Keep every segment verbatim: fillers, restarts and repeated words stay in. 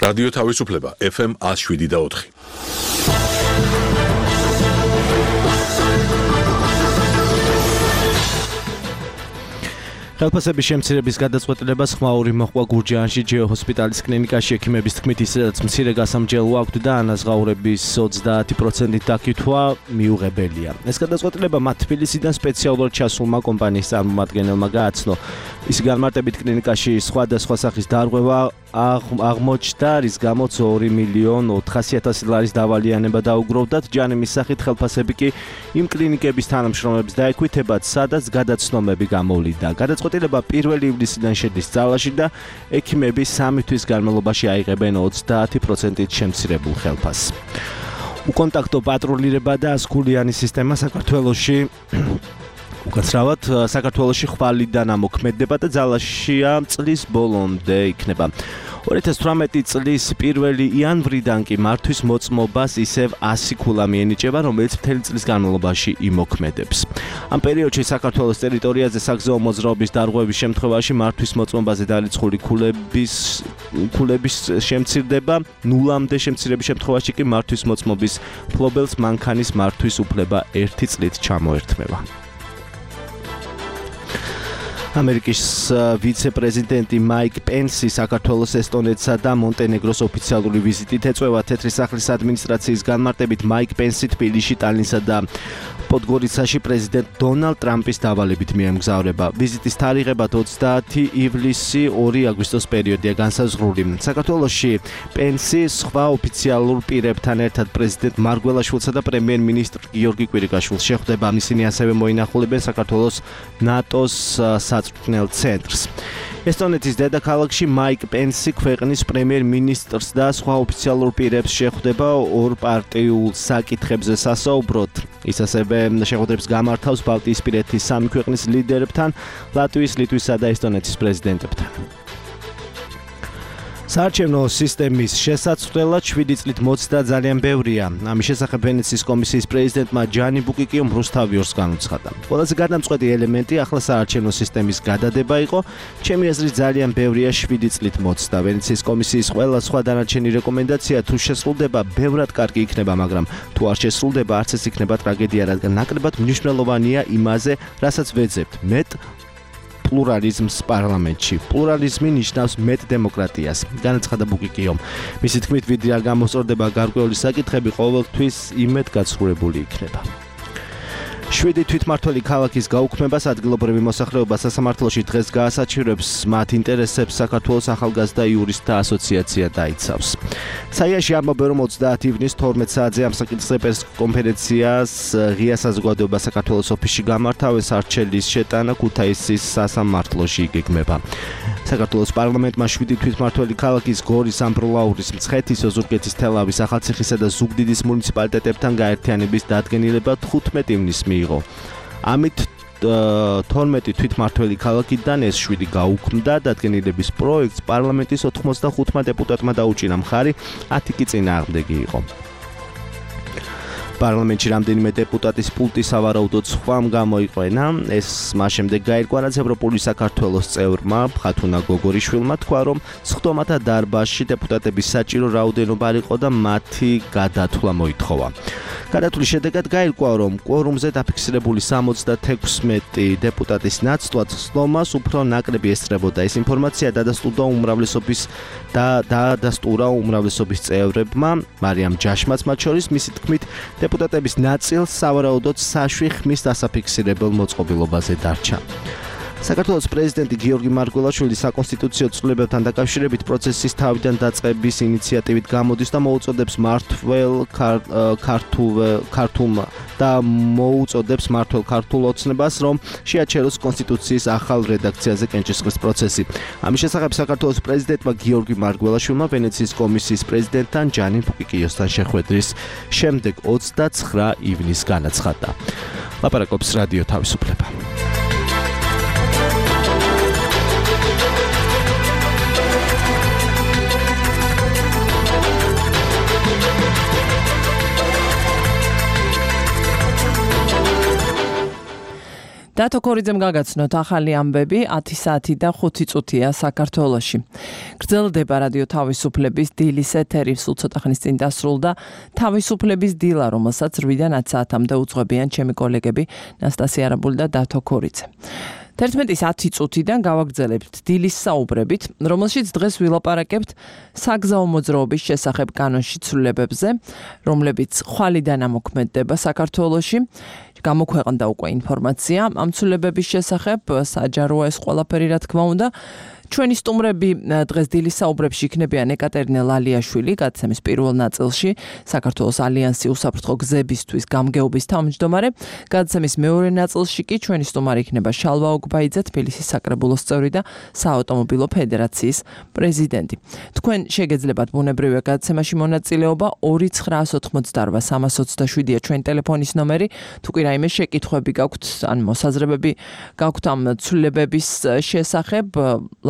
რადიო თავისუფლება ეფ ემ ათს შვიდი და ოთხი. ხელფასების შემცირების გადაწყვეტილებას ხმაური მოჰყვა გურჯაანში ჯეო ჰოსპიტალის კლინიკაში ექიმების თქმით ისედაც მცირე გასამჯელო აქვთ და ანაზღაურების ოცდაათი პროცენტით დაკითხვა მიუღებელია. ეს გადაწყვეტილება მათ თბილისიდან სპეციალურად ჩასულმა კომპანიის წარმომადგენელმა გააცნო. ისი განმარტებით კლინიკაში სხვადასხვა სახის დარღვევა აღმოჩნდა, რის გამოც ორი მილიონი ოთხასი ათასი ლარის დავალიანება დაუგროვდათ. ჯანიმის სახით ხელფასები კი იმ კლინიკების თანამშრომლებს დაექვითებათ, სადაც გადაცნობები გამოვლინდა. გადაწყვეტილება პირველი ივლისიდან შედის ძალაში და ექიმები სამი თვის განმავლობაში აიღებენ ოცდაათი პროცენტით შემცირებულ ხელფასს. უკონტაქტო პატრულირება და ასქულიანი სისტემა საქართველოში უკაცრავად საქართველოში ხვალიდან ამოქმედება და ძალაშია წლის ბოლომდე იქნება. ორი ათას თვრამეტი წლის პირველი იანვრიდან კი მართვის მოწმობას ისევ ასი ქულა მიენიჭება, რომელიც მთელი წლის განმავლობაში იმოქმედებს. ამ პერიოდში საქართველოს ტერიტორიაზე საგზაო მოძრაობის დარღვევის შემთხვევაში მართვის მოწმობაზე დარიცხული ქულების ქულების შემცირდება, ნულამდე შემცირების შემთხვევაში კი მართვის მოწმობის ფლობელს მანქანის მართვის უფლება ერთი წლით ჩამოერთმევა. ამერიკის ვიცე-პრეზიდენტი მაიკ პენსი საქართველოს, ესტონეთსა და მონტენეგროს ოფიციალური ვიზიტით ეწევა. თეთრი სახლის ადმინისტრაციის განმარტებით მაიკ პენსი თბილისში, ტალინსა და პოდგორიცაში პრეზიდენტ დონალდ ტრამპის დავალებით მიემგზავრება. ვიზიტის თარიღებად ოცდაათი ივლისი ორი აგვისტოს პერიოდია განსაზღვრული. საქართველოში პენსი სხვა ოფიციალურ პირებთან ერთად პრეზიდენტ მარგველაშვილსა და პრემიერ-მინისტრ გიორგი კვირიკაშვილს შეხვდება. ისინი ასევე მოინახულებენ საქართველოს ნატოს საწვრთნელ ცენტრს. ესტონეთის დედაქალაქში მაიკ პენსი ქვეყნის პრემიერ-მინისტრს და სხვა ოფიციალურ პირებს შეხვდება ორპარტიულ საკითხებზე სასაუბროდ. ის ასევე შეხვედრებს გამართავს ბალტიისპირეთის სამი ქვეყნის ლიდერებთან, ლატვიის, ლიტვისა და ესტონეთის პრეზიდენტებთან. საარჩევნო სისტემის შესაცვლელად შვიდი წლით მოცდა ძალიან ბევრია. ამის შესახებ ვენეციის კომისიის პრეზიდენტმა ჯანი ბუკიკიომ რუსთავიორს განუცხადა. ყველაზე გადამწყვეტი ელემენტი ახლა საარჩევნო სისტემის გადადება იყო. ჩემი აზრით ძალიან ბევრია შვიდი წლით მოცდა. ვენეციის კომისიის ყველა სხვა დანარჩენი რეკომენდაცია თუ შესრულდება, ბევრად კარგი იქნება, მაგრამ თუ არ შესრულდება, არც ეს იქნება ტრაგედია, რადგან ნაკლებად მნიშვნელოვანია იმაზე, რასაც ვეძებთ. მეტ პლურალიზმს პარლამენტში. პლურალიზმი ნიშნავს მეტ დემოკრატიას, განაცხადა ბუკიკიომ. მისი თქმით, ვიდრე არ გამოსწორდება გარკვეული საკითხები, ყოველთვის იმედ გაცხრებული იქნება. შვიდი თვითმმართველი ქალაქის გაუქმებას ადგილობრივი მოსახლეობა სასამართლოში დღეს გაასაჩივრებს, მათ ინტერესებს საქართველოს ახალგაზრდა იურისტთა ასოციაცია დაიცავს. საიაში ამბობენ, რომ ოცდაათი ივნის თორმეტ საათზე ამ საკითხზე პრესკონფერენციას ღია საზოგადოება საქართველოს ოფისში გამართავენ. სარჩელის შეტანა ქუთაისის სასამართლოში იგეგმება. საქართველოს პარლამენტმა შვიდი თვითმმართველი ქალაქის გორის, ამბროლაურის, მცხეთის, ოზურგეთის, თელავის, ახალციხისა და ზუგდიდის მუნიციპალიტეტებთან გაერთიანების დადგენილება თხუთმეტი ივნის მიიღო. ამით თორმეტი თვითმმართველი ქალაქიდან ეს შვიდი გაუქმდა. დადგენილების პროექტს პარლამენტის ოთხმოცდახუთმა დეპუტატმა დაუჭირა მხარი, ათი კი წინააღმდეგი იყო. პარლამენტში რამდენიმე დეპუტატის პულტი სავარაუდოდ სხვამ გამოიყვენა. ეს მას შემდეგ გაირკვა, რაც ევროპული საქართველოს წევრმა ხათუნა გოგორიშვილმა თქვა, რომ სხდომათა დარბაზში დეპუტატების საჭირო რაოდენობა არ იყო და მათი გადათვლა მოითხოვა. გადათვლის შედეგად გაირკვა, რომ კვორუმზე დაფიქსირებული სამოცდათექვსმეტი დეპუტატის ნაცვლად სხდომას უფრო ნაკლები ესწრებოდა. ეს ინფორმაცია დადასტურდა უმრავლესობის და დადასტურა უმრავლესობის წევრებმა, მარიამ ჯაშმაც მათ შორის. მისი თქმით, დეპუტატების ნაწილს სავარაუდოდ საშვი ხმის დასაფიქსირებელ მოწყობილობაზე დარჩა. საქართველოს პრეზიდენტი გიორგი მარგველაშვილი საკონსტიტუციო ცვლილებებთან დაკავშირებით პროცესის თავიდან დაწყების ინიციატივით გამოდის და მოუწოდებს მართლ ქართულ და მოუწოდებს მართლ ქართულ ოცნებას, რომ შეაჩეროს კონსტიტუციის ახალ რედაქციაზე კენჭისყრის პროცესი. ამის შესახებ საქართველოს პრეზიდენტმა გიორგი მარგველაშვილმა ვენეციის კომისიის პრეზიდენტთან ჯანი ბუკიკიოსთან შეხვედრის შემდეგ ოცდაცხრა ივნის განაცხადა. ლაპარაკობს რადიო თავისუფლება. დათო ქორიძემ გაგაცნოთ ახალი ამბები ათი საათი და ხუთი წუთია საქართველოში. გრძელდება რადიო თავისუფლების დილის ეთერი, სულ ცოტა ხნის წინ დასრულდა თავისუფლების დილა, რომელსაც რვიდან ათ საათამდე უძღვებიან ჩემი კოლეგები ნასტასია არაბული და დათო ქორიძე. თერთმეტის ათი წუთიდან გავაგრძელებთ დილის საუბრებით, რომელშიც დღეს ვილაპარაკებთ საგზაო მოძრაობის შესახებ კანონში ცვლილებებზე, რომლებიც ხვალიდან ამოქმედდება საქართველოში. გამოქვეყნდა უკვე ინფორმაცია ამ ცვლილებების შესახებ, საჯაროა ეს ყველაფერი რა თქმა უნდა. ჩვენი სტუმრები დღეს დილის საუბრებში იქნებიან ეკატერინე ლალიაშვილი, გადაცემის პირველ ნაწილში, საქართველოს ალიანსი უსაფრთხო გზებისთვის გამგეობის თავმჯდომარე, გადაცემის მეორე ნაწილში კი ჩვენი სტუმარი იქნება შალვა ოგბაიძე, თბილისის საკრებულოს წევრი და საავტომობილო ფედერაციის პრეზიდენტი. თქვენ შეგეძლებათ ბუნებრივია გადაცემაში მონაწილეობა ორი ცხრაას ოთხმოცდაორვა სამას ოცდაშვიდია ჩვენი ტელეფონის ნომერი, თუ კი რაიმე შეკითხვები გაქვთ, ან მოსაზრებები გაქვთ ამ ცვლილებების შესახებ,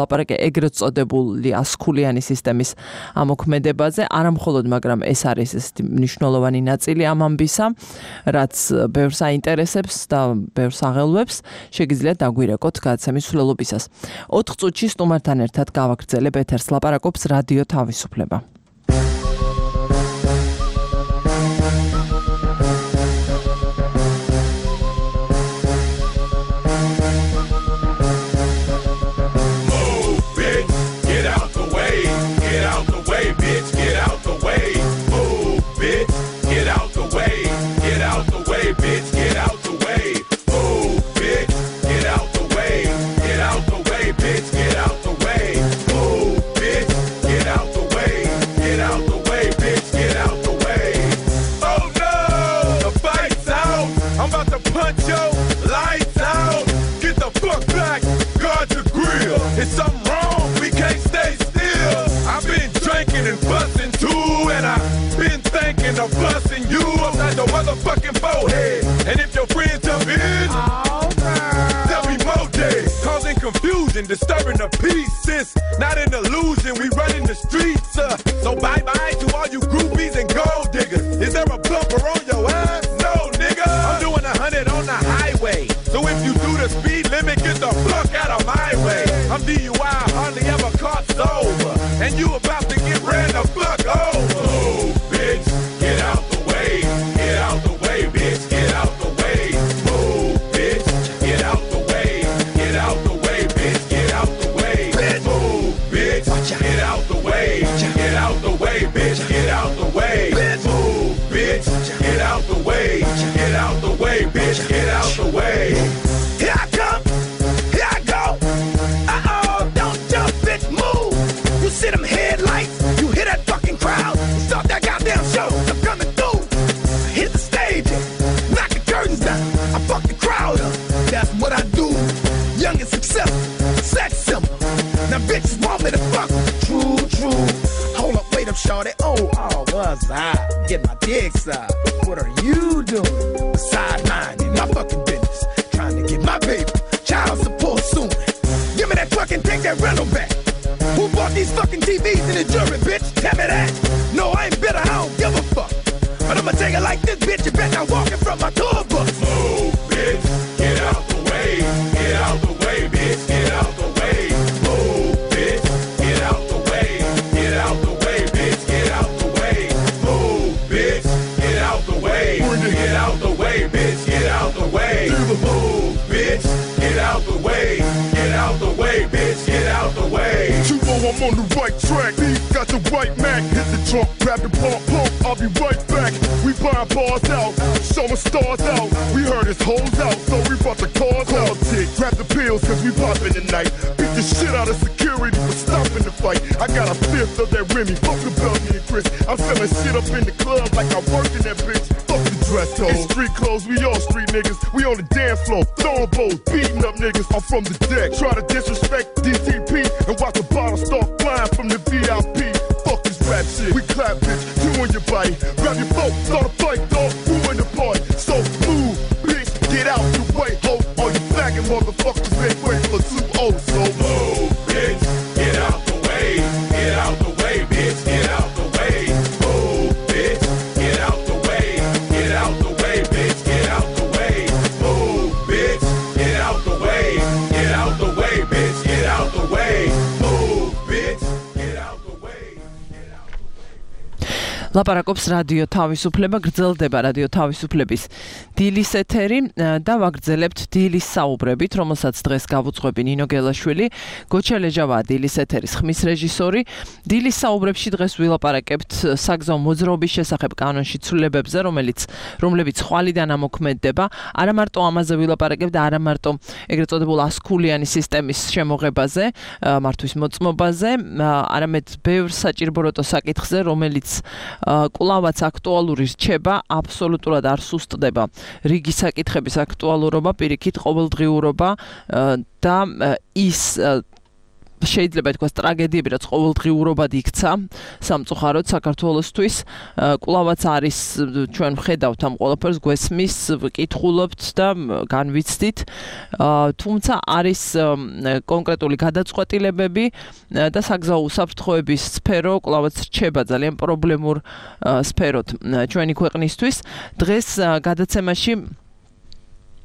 ლაპარაკი ეგრეთ წოდებული ასქულიანი სისტემის ამოქმედებაზე, არა მხოლოდ, მაგრამ ეს არის ეს მნიშვნელოვანი ნაწილი ამ ამბისა, რაც ბევრს აინტერესებს და ბევრს აღელვებს, შეგიძლიათ დაგვირეკოთ გადაცემის მსვლელობისას. ოთხ წუთში სტუმართან ერთად გავაგრძელებ ეთერს, ლაპარაკობს რადიო თავისუფლება. It's something wrong, we can't stay still. I've been drinking and busting too, and I've been thinking of busting you upside the motherfucking forehead. And if your friends jump in, there'll be more days, causing confusion, disturbing the peace. It's not an illusion, we running the streets. Uh, so bye bye to all you groupies and gold diggers. Is there a bumper on your ass? No, nigga. I'm doing a hundred on the highway. So if you do the speed limit, get the fuck out of my way. I'm D U I, hardly ever caught sober, and you about to get ran the fuck over. Oh, bitch, get out the way, get out the way, bitch, get out the way. Oh, bitch, get out the way, get out the way, bitch, get out the way. Oh, bitch, get out the way, get out the way, bitch, get out the way. Oh, bitch, get out the way, get out the way, bitch, get out the way. Here I come, here I go. You see them headlights, you hear that fucking crowd, stop that goddamn show, I'm coming through. Hit the stage, knock the curtains down, I fuck the crowd up, that's what I do. Young and successful, sex symbol. Now bitches want me to fuck them. True, true. Hold up, wait up, shorty. Oh, oh, was I? Get my dick sucked. What are you doing? Sidelining my fucking business, trying to get my baby child support soon. Give me that fucking, take that rental back. Who bought these fucking T Vs in the jury, bitch? Tell me that. No, I ain't bitter, I don't give a fuck. But I'ma take it like this, bitch. You bet not walking from my tour bus. Move, bitch. Get out the way. Get out the way, bitch. Get out the way. Move, bitch. Get out the way. Get out the way, bitch. Get out the way. Move, bitch. Get out the way. Get out the way, bitch. Get out the way. Move, bitch. Get out the way. Get out the way, bitch. Get out the way. I'm on the right track. B got the right Mac. Hit the trunk, grab the pump, pump. I'll be right back. We buying bars out, showing stars out. We heard his hoes out, so we brought the cars out. Grab the pills, cause we poppin' tonight. Beat the shit out of security for stopping the fight. I got a fifth of that Remy. Fuck the Belgian and Chris. I'm selling shit up in the club like I work in that bitch. Fuck the dress code. In street clothes, we all street niggas. We on the dance floor, throwing bows, beating up niggas. I'm from the deck. Try to disrespect D T P and watch the bottle start flying from the V I P. Fuck this rap shit. We clap, bitch. You on your body. Grab your phone, start a fight, dog. Ruin the party. So move, bitch. Get out the way, ho. All you faggot motherfuckers ain't wait for two oh. So move, bitch. Get out the way. Get out the way, bitch. Get out the way. Move, bitch. Get out the way. Get out the way, bitch. Get out the way. Move, bitch. Get out ლაპარაკობს რადიო თავისუფლება, გრძელდება რადიო თავისუფლების დილის ეთერი და ვაგრძელებთ დილის საუბრებით, რომელსაც დღეს გავუძღვები ნინო გელაშვილი, გოჩა ლეჟავაა დილის ეთერის ხმის რეჟისორი. დილის საუბრებში დღეს ვილაპარაკებთ საგზაო მოძრაობის შესახებ კანონში ცვლილებებზე, რომელიც რომლებიც ხვალიდან ამოქმედდება. არა მარტო ამაზე ვილაპარაკებთ და არა მარტო ეგრეთ წოდებულ ასქულიანი სისტემის შემოღებაზე, მართვის მოწმობაზე, არამედ ბევრ საჭირბოროტო საკითხზე, რომელიც კვლავაც აქტუალური რჩება, აბსოლუტურად არ სუსტდება რიგი საკითხების აქტუალურობა, პირიქით ყოველდღიურობა და ის შეიძლება ითქვას ტრაგედიები, რაც ყოველდღიურობად იქცა სამწუხაროდ საქართველოსთვის, კვლავაც არის ჩვენ ვხედავთ ამ ყველაფერს, გვესმის, ვკითხულობთ და განვიცდით, თუმცა არის კონკრეტული გადაწყვეტილებები და საგზაო უსაფრთხოების სფერო კვლავაც რჩება ძალიან პრობლემურ სფეროდ ჩვენი ქვეყნისთვის. დღეს გადაცემაში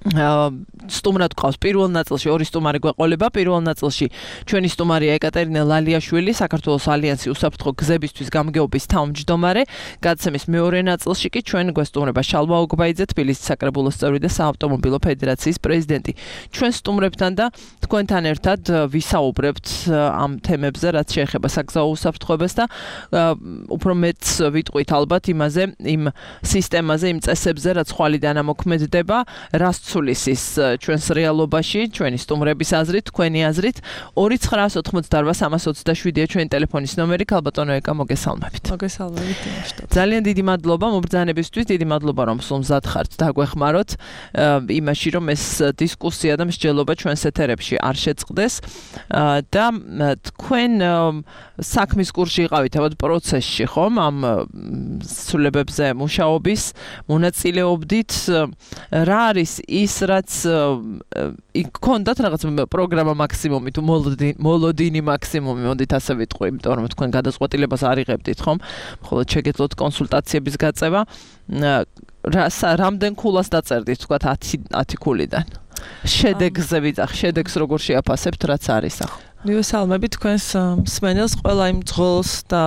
სტუმრად გვყავს პირველ ნაწილში ორი სტუმარი გვეყოლება. პირველ ნაწილში ჩვენი სტუმარია ეკატერინე ლალიაშვილი, საქართველოს ალიანსი უსაფრთხო გზებისთვის გამგეობის თავმჯდომარე. გადაცემის მეორე ნაწილში კი ჩვენ გვესტუმრება შალვა ოგბაიძე, თბილისის საკრებულოს წევრი და საავტომობილო ფედერაციის პრეზიდენტი. ჩვენ სტუმრებთან და თქვენთან ერთად ვისაუბრებთ ამ თემებზე, რაც შეეხება საგზაო უსაფრთხოებას და უფრო მეტს ვიტყვით ალბათ იმაზე, იმ სისტემაზე, იმ წესებზე, რაც ხვალიდან ამოქმედდება, რას ცulis ის ჩვენს რეალობაში, ჩვენი სტუმრების აზრით, თქვენი აზრით. ორი ცხრაას ოთხმოცდაარბა სამას ოცდაშვიდია ჩვენი ტელეფონის ნომერი. ქალბატონო ეკა, მოგესალმებით. მოგესალმებით. ძალიან დიდი მადლობა მობრძანებისთვის, დიდი მადლობა რომ სულ მზად ხართ დაგვეხმაროთ იმაში, რომ ეს დისკუსია და მსჯელობა ჩვენს ეთერებში არ შეწყდეს და თქვენ საქმის კურსში იყავით ალბათ პროცესში, ხომ? ამ ცვლილებებზე მუშაობის მონაწილეობდით. რა არის ის, რაც იქონდათ რაღაც პროგრამა მაქსიმუმი თუ მოლოდინი მაქსიმუმი, მოდით ასე ვიტყვი, იმიტომ რომ თქვენ გადაწყვეტილებას არ იღებდით, ხომ? მხოლოდ შეგეძლოთ კონსულტაციების გაწევა. რამდენ ქულას დაწერდით, თქვათ ათი ქულიდან? შედეგზე ვიძახ, შედეგს როგორ შეაფასებთ, რაც არის ახლა? მივესალმებით თქვენს მსმენელს, ყველა იმ ძღოლს და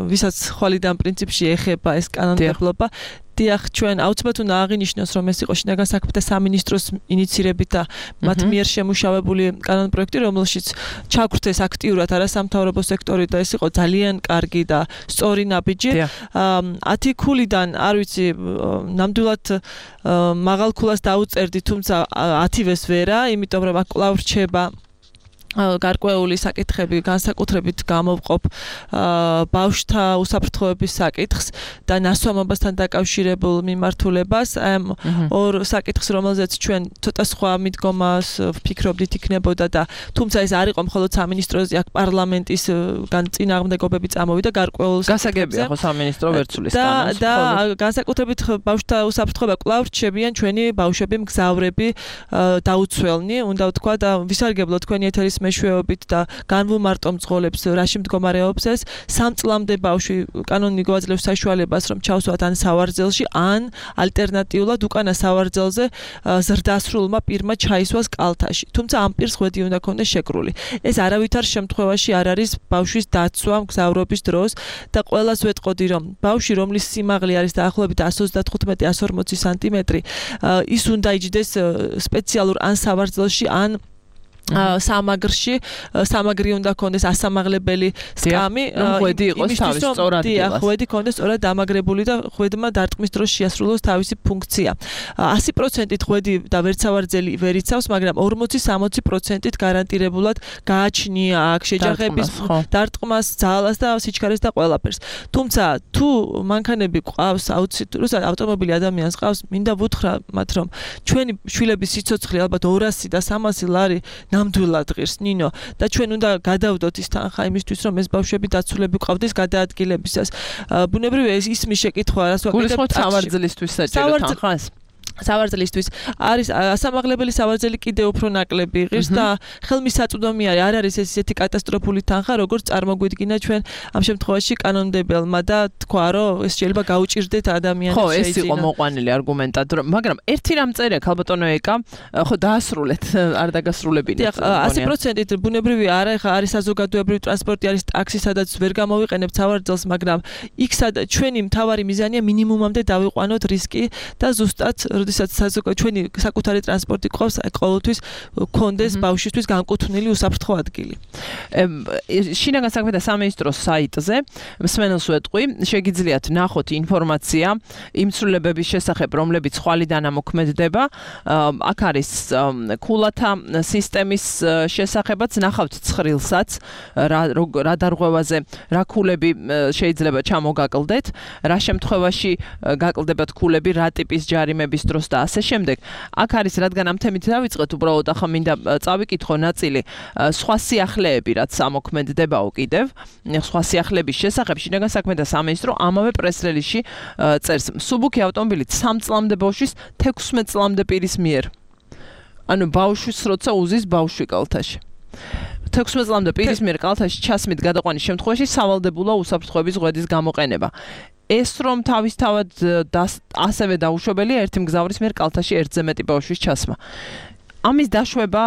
ვისაც ხვალიდან პრინციპში ეხება ეს კანონმდებლობა. დიახ, ჩვენ აუცილებლად უნდა აღინიშნოს, რომ ეს იყო შინაგან საქმეთა სამინისტროს ინიცირებით და მათ მიერ შემუშავებული კანონპროექტი, რომელშიც ჩაგვრთეს აქტიურად არასამთავრობო სექტორი და ეს იყო ძალიან კარგი და სწორი ნაბიჯი. ათი ქულიდან არ ვიცი, ნამდვილად მაღალ ქულას დაუწერდი, თუმცა ათივეს ვერა, იმიტომ რომ აქ კვლავ რჩება გარკვეული საკითხები, განსაკუთრებით გამოვყოფ ბავშვთა უსაფრთხოების საკითხს და ნასვამობასთან დაკავშირებულ მიმართულებას. ამ ორ საკითხს, რომელზეც ჩვენ ცოტა სხვა მიდგომას ვფიქრობდით იქნებოდა და თუმცა ეს არ იყო მხოლოდ სამინისტროზე, აქ პარლამენტის წინააღმდეგობები წამოვიდა გარკვეულ გასაგებია ხო სამინისტრო ვერ ცulis კანონს. და განსაკუთრებით ბავშვთა უსაფრთხოება კვლავ რჩებიან ჩვენი ბავშვები, მგზავრები, დაუცველნი, უნდა ვთქვა და ვისარგებლო თქვენი ეთერის მეშვეობით და განვუმარტო მძღოლებს რაში მდგომარეობს ეს. სამ წლამდე ბავშვი კანონი გვაძლევს საშუალებას, რომ ჩავსვათ ან სავარძელში, ან ალტერნატიულად უკანა სავარძელზე ზრდასრულმა პირმა ჩაისვას კალთაში. თუმცა ამ პირს ხვედი უნდა ქონდეს შეკრული. ეს არავითარ შემთხვევაში არ არის ბავშვის დაცვა მგზავრობის დროს და ყველას ვეტყოდი, რომ ბავშვი, რომლის სიმაღლე არის დაახლოებით ათს ოცდათხუთმეტი ათს ორმოცი სანტიმეტრი, ის უნდა იჯდეს სპეციალურ ან სავარძელში, ან სამაგრში, სამაგრი უნდა ქონდეს ასამაღლებელი სკამი, ხვედი იყოს თავის სწორ ადგილას. ხვედი ქონდეს სწორად დამაგრებული და ხვედმა დარტყმის დროს შეასრულოს თავისი ფუნქცია. ასი პროცენტით ხვედი და ვერცავარძელი ვერ იცავს, მაგრამ ორმოცი სამოცი პროცენტით გარანტირებულად გააჩნია აქ შეჯახების დარტყმას, ძალას და სიჩქარეს და ყველაფერს. თუმცა თუ მანქანები ყავს, აუცილებლად ავტომობილი ადამიანს ყავს, მინდა ვუთხრა მათ, რომ ჩვენი შვილების სიცოცხლე ალბათ ორასი და სამასი ლარი ნამდვილად ღირს ნინო და ჩვენ უნდა გადავდოთ ის თანხა იმისთვის, რომ ეს ბავშვები დაცულები ყავდეს გადაადგილებისას. ბუნებრივია ის ისმის შეკითხვა, რას ვაკეთებ სავარძელისთვის საჭირო თანხას? სავარძელისთვის არის ასამაღლებელი სავარძელი კიდე უფრო ნაკლები იღებს და ხელმისაწვდომი არის არ არის ეს ისეთი კატასტროფული თანხა როგორც წარმოგვიდგინა ჩვენ ამ შემთხვევაში კანონმდებელმა და თქვა რომ ეს შეიძლება გაუჭირდეთ ადამიანებს ხო ეს იყო მოყვანილი არგუმენტად მაგრამ ერთი რამ წერია ქალბატონო ეკა ხო დაასრულეთ არ დაგასრულებინეთ ასი პროცენტით ბუნებრივი არა ხა არის საზოგადოებრივი ტრანსპორტი არის ტაქსი სადაც ვერ გამოვიყენებთ სავარძელს მაგრამ იქ სადაც ჩვენი მთავარი მიზანია მინიმუმამდე დავიყვანოთ რისკი და ზუსტად როდესაც ჩვენი საკუთარი ტრანსპორტი ყავს ყოველთვის გქონდეს ბავშვისთვის განკუთვნილი უსაფრთხო ადგილი. შინაგან საქმეთა სამინისტროს საიტზე მსმენელს ვეტყვი, შეგიძლიათ ნახოთ ინფორმაცია იმ ცვლილებების შესახებ, რომლებიც ხვალიდან ამოქმედდება. აქ არის ქულათა სისტემის შესახებაც, ნახავთ ცხრილსაც, რა დარღვევაზე, რა ქულები შეიძლება ჩამოგაკლდეთ, რა შემთხვევაში გაკლდებათ ქულები, რა ტიპის ჯარიმების დროს და ასე შემდეგ. აქ არის რადგან ამ თემით დავიწყეთ, უბრალოდ ახლა მინდა წავიკითხო ნაწილი სხვა სიახლეები, რაც ამოქმედდებაო კიდევ. სხვა სიახლეების შესახებ შინაგან საქმეთა სამინისტრო ამავე პრეს-რელიზში წერს. მსუბუქი ავტომობილით სამ წლამდე ბავშვის თექვსმეტ წლამდე პირის მიერ. ანუ ბავშვის როცა უზის ბავშვი კალთაში. თექვსმეტ წლამდე პირის მიერ კალთაში ჩასმით გადაყვანის შემთხვევაში სავალდებულო უსაფრთხოების ღვედის გამოყენება. ეს რომ თავისთავად ასევე დაუშვებელია ერთი მგზავრის მიერ კალთაში ერთზე მეტი ბავშვის ჩასმა. ამის დაშვება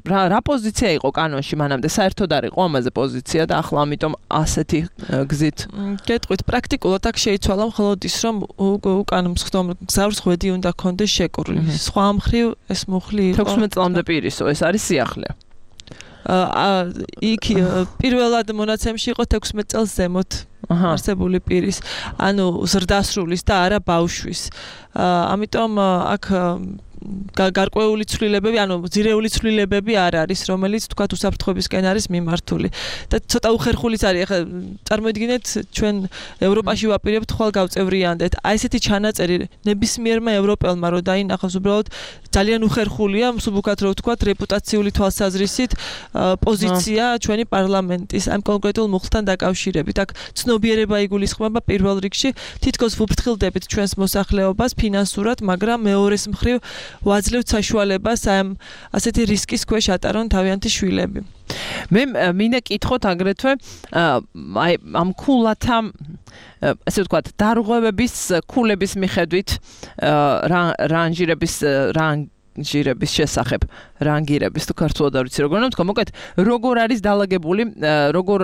რა, რა პოზიცია იყო კანონში მანამდე საერთოდ არ იყო ამაზე პოზიცია და ახლა ამიტომ ასეთი გზით გეტყვით პრაქტიკულად აქ შეიცვალა მხოლოდ ის რომ უკან მგზავრს ღვედი უნდა ქონდეს შეკრული. სხვა მხრივ ეს მუხლი იყო თექვსმეტ წლამდე პირისო ეს არის სიახლე. აა იქ პირველად მონაცემში იყო თექვსმეტ წელს ზემოთ არსებული პირის, ანუ ზრდასრულის და არა ბავშვის. ამიტომ აქ გარკვეული ცვლილებები, ანუ ძირეული ცვლილებები არ არის, რომელიც თქვა უსაფრთხოებისკენ არის მიმართული. და ცოტა უხერხულიც არის. ახლა წარმოიდგინეთ, ჩვენ ევროპაში ვაპირებთ ხვალ გავწევრიანდეთ. აი ესეთი ჩანაწერი ნებისმიერმა ევროპელმა რო დაინახავს, უბრალოდ ძალიან უხერხულია, მსუბუქად რო ვთქვათ, რეპუტაციული თვალსაზრისით პოზიცია ჩვენი პარლამენტის ამ კონკრეტულ მუხლთან დაკავშირებით. აქ ცნობიერება იგულისხმება პირველ რიგში, თითქოს ვუფრთხილდებით ჩვენს მოსახლეობას ფინანსურად, მაგრამ მეორეს მხრივ ვაძლევთ საშუალებას ამ ასეთი რისკის ქვეშ ატარონ თავიანთი შვილები. მე მინდა კითხოთ აგრეთვე აი ამ ქულათა ასე ვთქვათ დარღვევების ქულების მიხედვით რანჟირების რანჟირების შესახებ რანგირების თუ ქართულად არ ვიცი როგორ უნდა ვთქვა მოკეთ როგორ არის დაალაგებული როგორ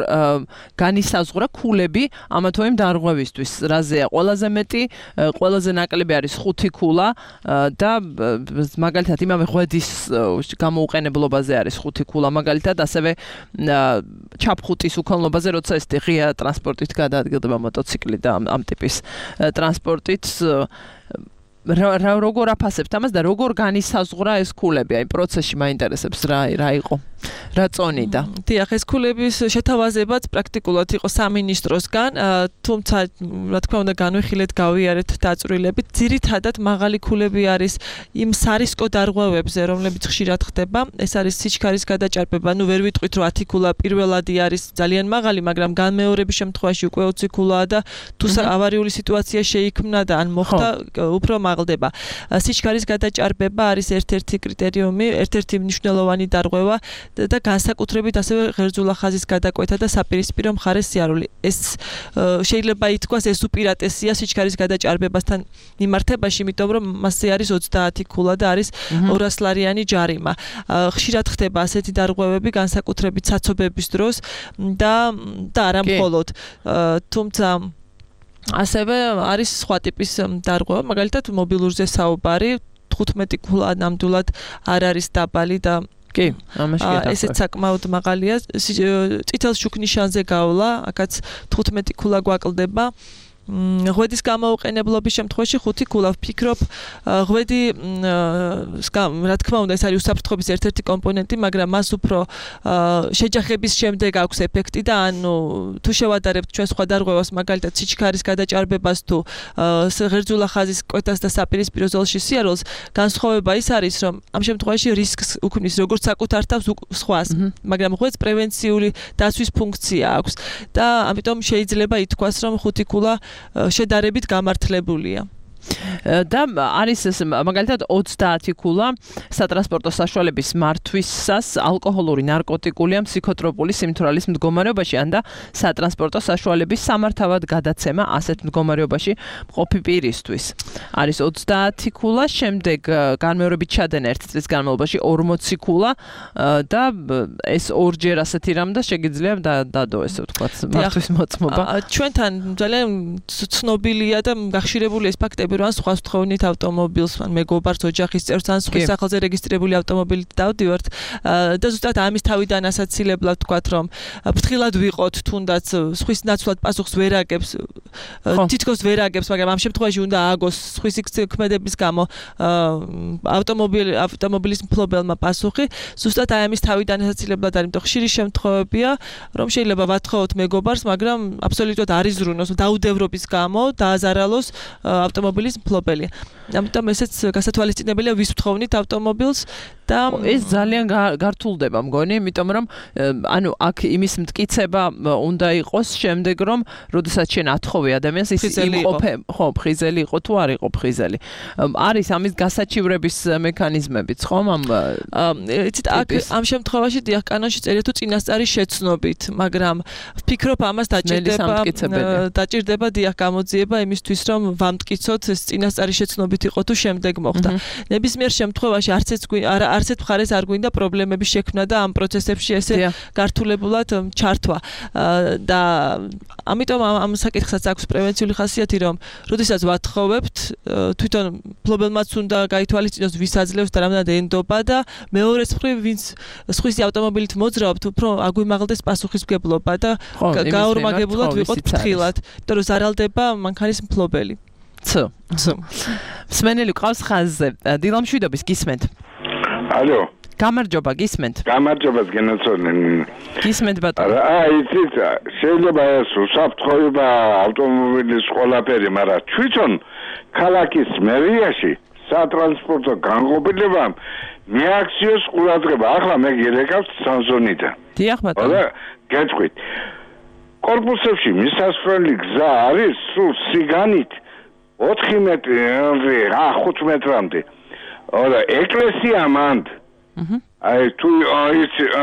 განისაზღვრა ქულები ამა თუ იმ დარღვევისთვის რაზეა ყველაზე მეტი ყველაზე ნაკლები არის ხუთი ქულა და მაგალითად იმავე ღვედის გამოუყენებლობაზე არის ხუთი ქულა მაგალითად ასევე ჩაფხუტის უქონლობაზე როცა ეს ღია ტრანსპორტით გადაადგილდება მოტოციკლი და ამ ტიპის ტრანსპორტით რა როგორ აფასებთ ამას და როგორ განისაზღვრა ეს ქულები აი პროცესში მაინტერესებს რა რა იყო რა წონიდა დიახ ეს ქულების შეთავაზებაც პრაქტიკულად იყო სამინისტროსგან თუმცა რა თქმა უნდა განვიხილეთ გავიარეთ დაწვრილებით ძირითადად მაღალი ქულები არის იმ სარისკო დარღვევებზე რომლებიც ხშირად ხდება ეს არის სიჩქარის გადაჭარბება ნუ ვერ ვიტყვით რომ ათი ქულა პირველადი არის ძალიან მაღალი მაგრამ განმეორების შემთხვევაში უკვე ოცი ქულაა და თუ ავარიული სიტუაცია შეიქმნა და ან მოხდა უფრო მაღლდება სიჩქარის გადაჭარბება არის ერთ-ერთი კრიტერიუმი ერთ-ერთი მნიშვნელოვანი დარღვევა და განსაკუთრებით ასევე ღერძულა ხაზის გადაკვეთა და საპირისპირო მხარეს სიარული. ეს შეიძლება ითქვას ეს უპირატესია სიჩქარის გადაჭარბებასთან მიმართებაში, იმიტომ რომ მასზე არის ოცდაათი ქულა და არის ორასი ლარიანი ჯარიმა. ხშირად ხდება ასეთი დარღვევები განსაკუთრებით საცობების დროს და და არა მხოლოდ. თუმცა ასევე არის სხვა ტიპის დარღვევა, მაგალითად მობილურზე საუბარი, თხუთმეტი ქულა ნამდვილად არ არის დაბალი და კი, ამაში გადაყვე. ესეც საკმაოდ მაღალია. წითელ შუქნიშანზე გავლა, აქაც თხუთმეტი ქულა გვაკლდება. ღვედის გამოუყენებლობის შემთხვევაში ხუთი ქულა ვფიქრობ ღვედი რა თქმა უნდა ეს არის უსაფრთხოების ერთ-ერთი კომპონენტი მაგრამ მას უფრო შეჯახების შემდეგ აქვს ეფექტი და ანუ თუ შევადარებთ ჩვენ სხვა დარღვევას მაგალითად სიჩქარის გადაჭარბებას თუ ღერძულა ხაზის კვეთას და საპირისპირო ზოლში სიარულს განსხვავება ის არის რომ ამ შემთხვევაში რისკს უქმნის როგორც საკუთარ თავს სხვას მაგრამ ღვედს პრევენციული დაცვის ფუნქცია აქვს და ამიტომ შეიძლება ითქვას რომ ხუთი ქულა შედარებით გამართლებულია. და არის ეს მაგალითად ოცდაათი ქულა სატრანსპორტო საშუალების მართვისას ალკოჰოლური, ნარკოტიკული ან ფსიქოტროპული სიმთვრალის მდგომარეობაში ან და სატრანსპორტო საშუალების სამართავად გადაცემა ასეთ მდგომარეობაში მყოფი პირისთვის. არის ოცდაათი ქულა, შემდეგ განმეორებით ჩადენა ერთი წლის განმავლობაში ორმოცი ქულა და ეს ორჯერ ასეთი რამ და შეგიძლია დადო ესე ვთქვათ მართვის მოწმობა. ჩვენთან ძალიან ცნობილია და გახშირებული ეს ფაქტები, რომ სხვა სთხოვნით ავტომობილს, ან მეგობარს, ოჯახის წევრს, ან სხვა სახელზე რეგისტრირებული ავტომობილით დავდივართ და ზუსტად ამის თავიდან ასაცილებლად ვთქვათ, რომ ფრთხილად ვიყოთ, თუნდაც სხვის ნაცვლად პასუხს ვერ აგებს, თითქოს ვერ აგებს, მაგრამ ამ შემთხვევაში უნდა ააგოს სხვის ქმედების გამო ავტომობილი ავტომობილის მფლობელმა პასუხი. ზუსტად აი ამის თავიდან ასაცილებლად არის, იმიტომ ხშირი შემთხვევებია, რომ შეიძლება ვათხოვოთ მეგობარს, მაგრამ აბსოლუტურად არ იზრუნოს, დაუდევრობის გამო დააზარალოს ავტომობილის მფლობელი. ამიტომ ესეც გასათვალისწინებელია, ვის ვთხოვნით ავტომობილს და ეს ძალიან გართულდება მგონი, იმიტომ რომ ანუ აქ იმის მტკიცება უნდა იყოს შემდეგ, რომ როდესაც შენ ათხოვე ადამიანს ის იმყოფე, ხო, ფხიზელი იყო თუ არ იყო ფხიზელი. არის ამის გასაჩივრების მექანიზმებიც, ხომ? ამ იცით, აქ ამ შემთხვევაში დიახ, კანონში წერია თუ წინასწარი შეცნობით, მაგრამ ვფიქრობ ამას დაჭირდება დაჭირდება დიახ გამოძიება იმისთვის, რომ ვამტკიცოთ ეს წინასწარი შეცნობით იყო თუ შემდეგ მოხდა. ნებისმიერ შემთხვევაში არც ეს არცეთ მხარეს არ გვინდა პრობლემების შექმნა და ამ პროცესებში ესე გართულებულად ჩართვა. და ამიტომ ამ საკითხსაც აქვს პრევენციული ხასიათი, რომ როდესაც ვათხოვებთ, თვითონ მფლობელმაც უნდა გაითვალისწინოს, ვის აძლევს და რამდენად ენდობა და მეორეს მხრივ, ვინც სხვისი ავტომობილით მოძრაობთ, უფრო აგვიმაღლდეს პასუხისმგებლობა და გაორმაგებულად ვიყოთ ფრთხილად, იმიტომ რომ ზარალდება მანქანის მფლობელი. ცო. ცო. მსმენელი ყავს ხაზზე. დილამშვიდობის გისმენთ. ალო. გამარჯობა, გისმენთ. გამარჯობა, გენაცოლენ. გისმენთ ბატონო. აი, იცით, შეიძლება ეს უსაფრთხოება ავტომობილის ყველაფერი, მაგრამ თვითონ ქალაქის მერიაში სატრანსპორტო განყოფილებამ მიაქციოს ყურადღება. ახლა მე გირეკავთ სამზონიდან. დიახ ბატონო. და გეტყვით. კორპუსებში მისასვლელი გზა არის სულ სიგანით ოთხი მეტრი, ხუთ მეტრამდე. და ეკლესია მანდ. აი თუ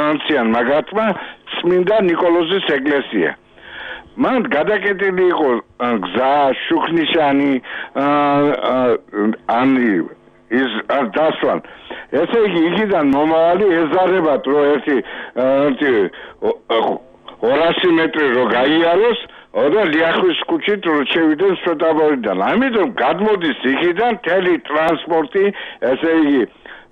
ანციან მაგათმა წმინდა ნიკოლოზის ეკლესია. მანდ გადაკეტილი იყო გზა, შუქნიშანი, ანი ის დასვან. ესე იგი იქიდან მომავალი ეზარებათ, რომ ერთი ორასი მეტრი რო გაიაროს, და ლიახვის ქუჩით რო შევიდნენ სვეტაბორიდან. ამიტომ გადმოდის იქიდან მთელი ტრანსპორტი, ესე იგი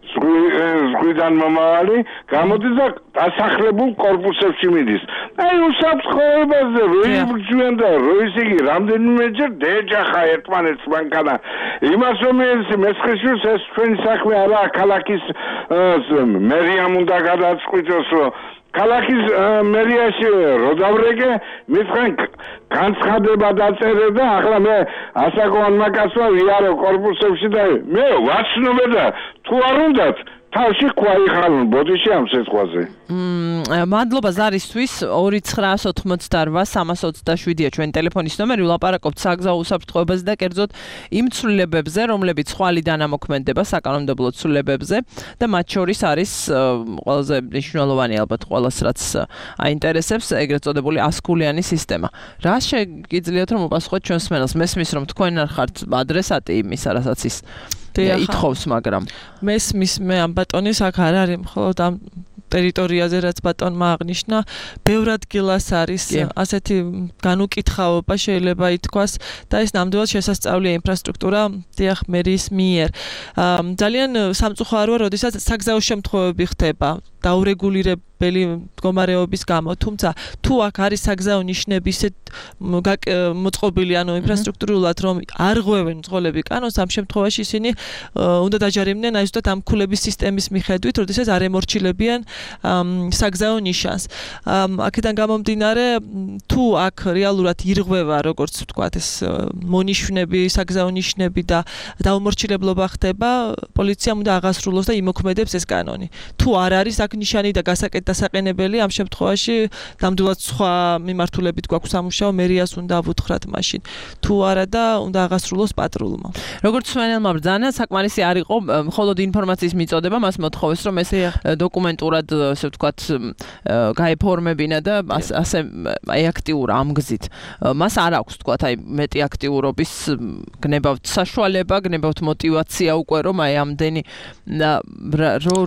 ზღვიდან მომავალი გამოდის და დასახლებულ კორპუსებში მიდის. აი უსაფრთხოებაზე რო იბრძვიან და რო ისე იგი რამდენიმეჯერ დეჯახა ერთმანეთს მანქანა. იმას რომ ეს მესხიშვილს ეს ჩვენი საქმე არაა, ქალაქის მერიამ უნდა გადაწყვიტოს, რომ ქალაქის მერიაში რო დავრეკე, მისგან განცხადება დაწერე და ახლა მე ასაკოვანმა კაცმა ვიარო კორპუსებში და მე ვაცნობე და თუ არ უნდათ თავში ქვაიხალონ ბოდიში ამ სიტყვაზე. მმ მადლობა ზარისთვის ორი ცხრა ოთხმოცდაოთხ სამას ოცდაშვიდია ჩვენი ტელეფონის ნომერი. ვლაპარაკობთ საგზაო უსაფრთხოებაზე და კერძოდ იმ ცვლილებებზე, რომლებიც ხვალიდან ამოქმედება საკანონმდებლო ცვლილებებზე და მათ შორის არის ყველაზე მნიშვნელოვანი ალბათ ყველას რაც აინტერესებს ეგრეთ წოდებული ასკულიანი სისტემა. რა შეგიძლიათ რომ უპასუხოთ ჩვენს მსმენელს? მესმის რომ თქვენ არ ხართ ადრესატი იმისა, რასაც ის ითხოვს, მაგრამ მესმის მე ამ ბატონის აქ არ არის მხოლოდ ამ ტერიტორიაზე რაც ბატონმა აღნიშნა, ბევრ ადგილას არის ასეთი განუკითხაობა შეიძლება ითქვას და ეს ნამდვილად შესასწავლია ინფრასტრუქტურა დიახ მერის მიერ. ძალიან სამწუხაროა, როდესაც საგზაო შემთხვევები ხდება დაურეგულირებელი მდგომარეობის გამო, თუმცა თუ აქ არის საგზაო ნიშნები ისე მოწყობილი, ანუ ინფრასტრუქტურულად, რომ არ ღვევენ მძღოლები კანონს, ამ შემთხვევაში ისინი უნდა დაჯარიმდნენ აი ზუსტად ამ ქულების სისტემის მიხედვით, როდესაც არ ემორჩილებიან საგზაო ნიშანს. აქედან გამომდინარე, თუ აქ რეალურად ირღვევა, როგორც ვთქვათ, ეს მონიშნები, საგზაო ნიშნები და დაუმორჩილებლობა ხდება, პოლიციამ უნდა აღასრულოს და იმოქმედებს ეს კანონი. თუ არ არის აქ ნიშანი და გასაკეთდა დასაყენებელი ამ შემთხვევაში ნამდვილად სხვა მიმართულებით გვაქვს სამუშაო მერიას უნდა ვუთხრათ მაშინ თუ არა და უნდა აღასრულოს პატრულმა როგორც სვენელმა ბრძანა საკმარისი არ იყო მხოლოდ ინფორმაციის მიწოდება მას მოთხოვეს რომ ეს დოკუმენტურად ასე ვთქვათ გაეფორმებინა და ასე აქტიურ ამ გზით მას არ აქვს ვთქვათ აი მეტი აქტიურობის გნებავთ საშუალება გნებავთ мотиваცია უკვე რომ აი ამდენი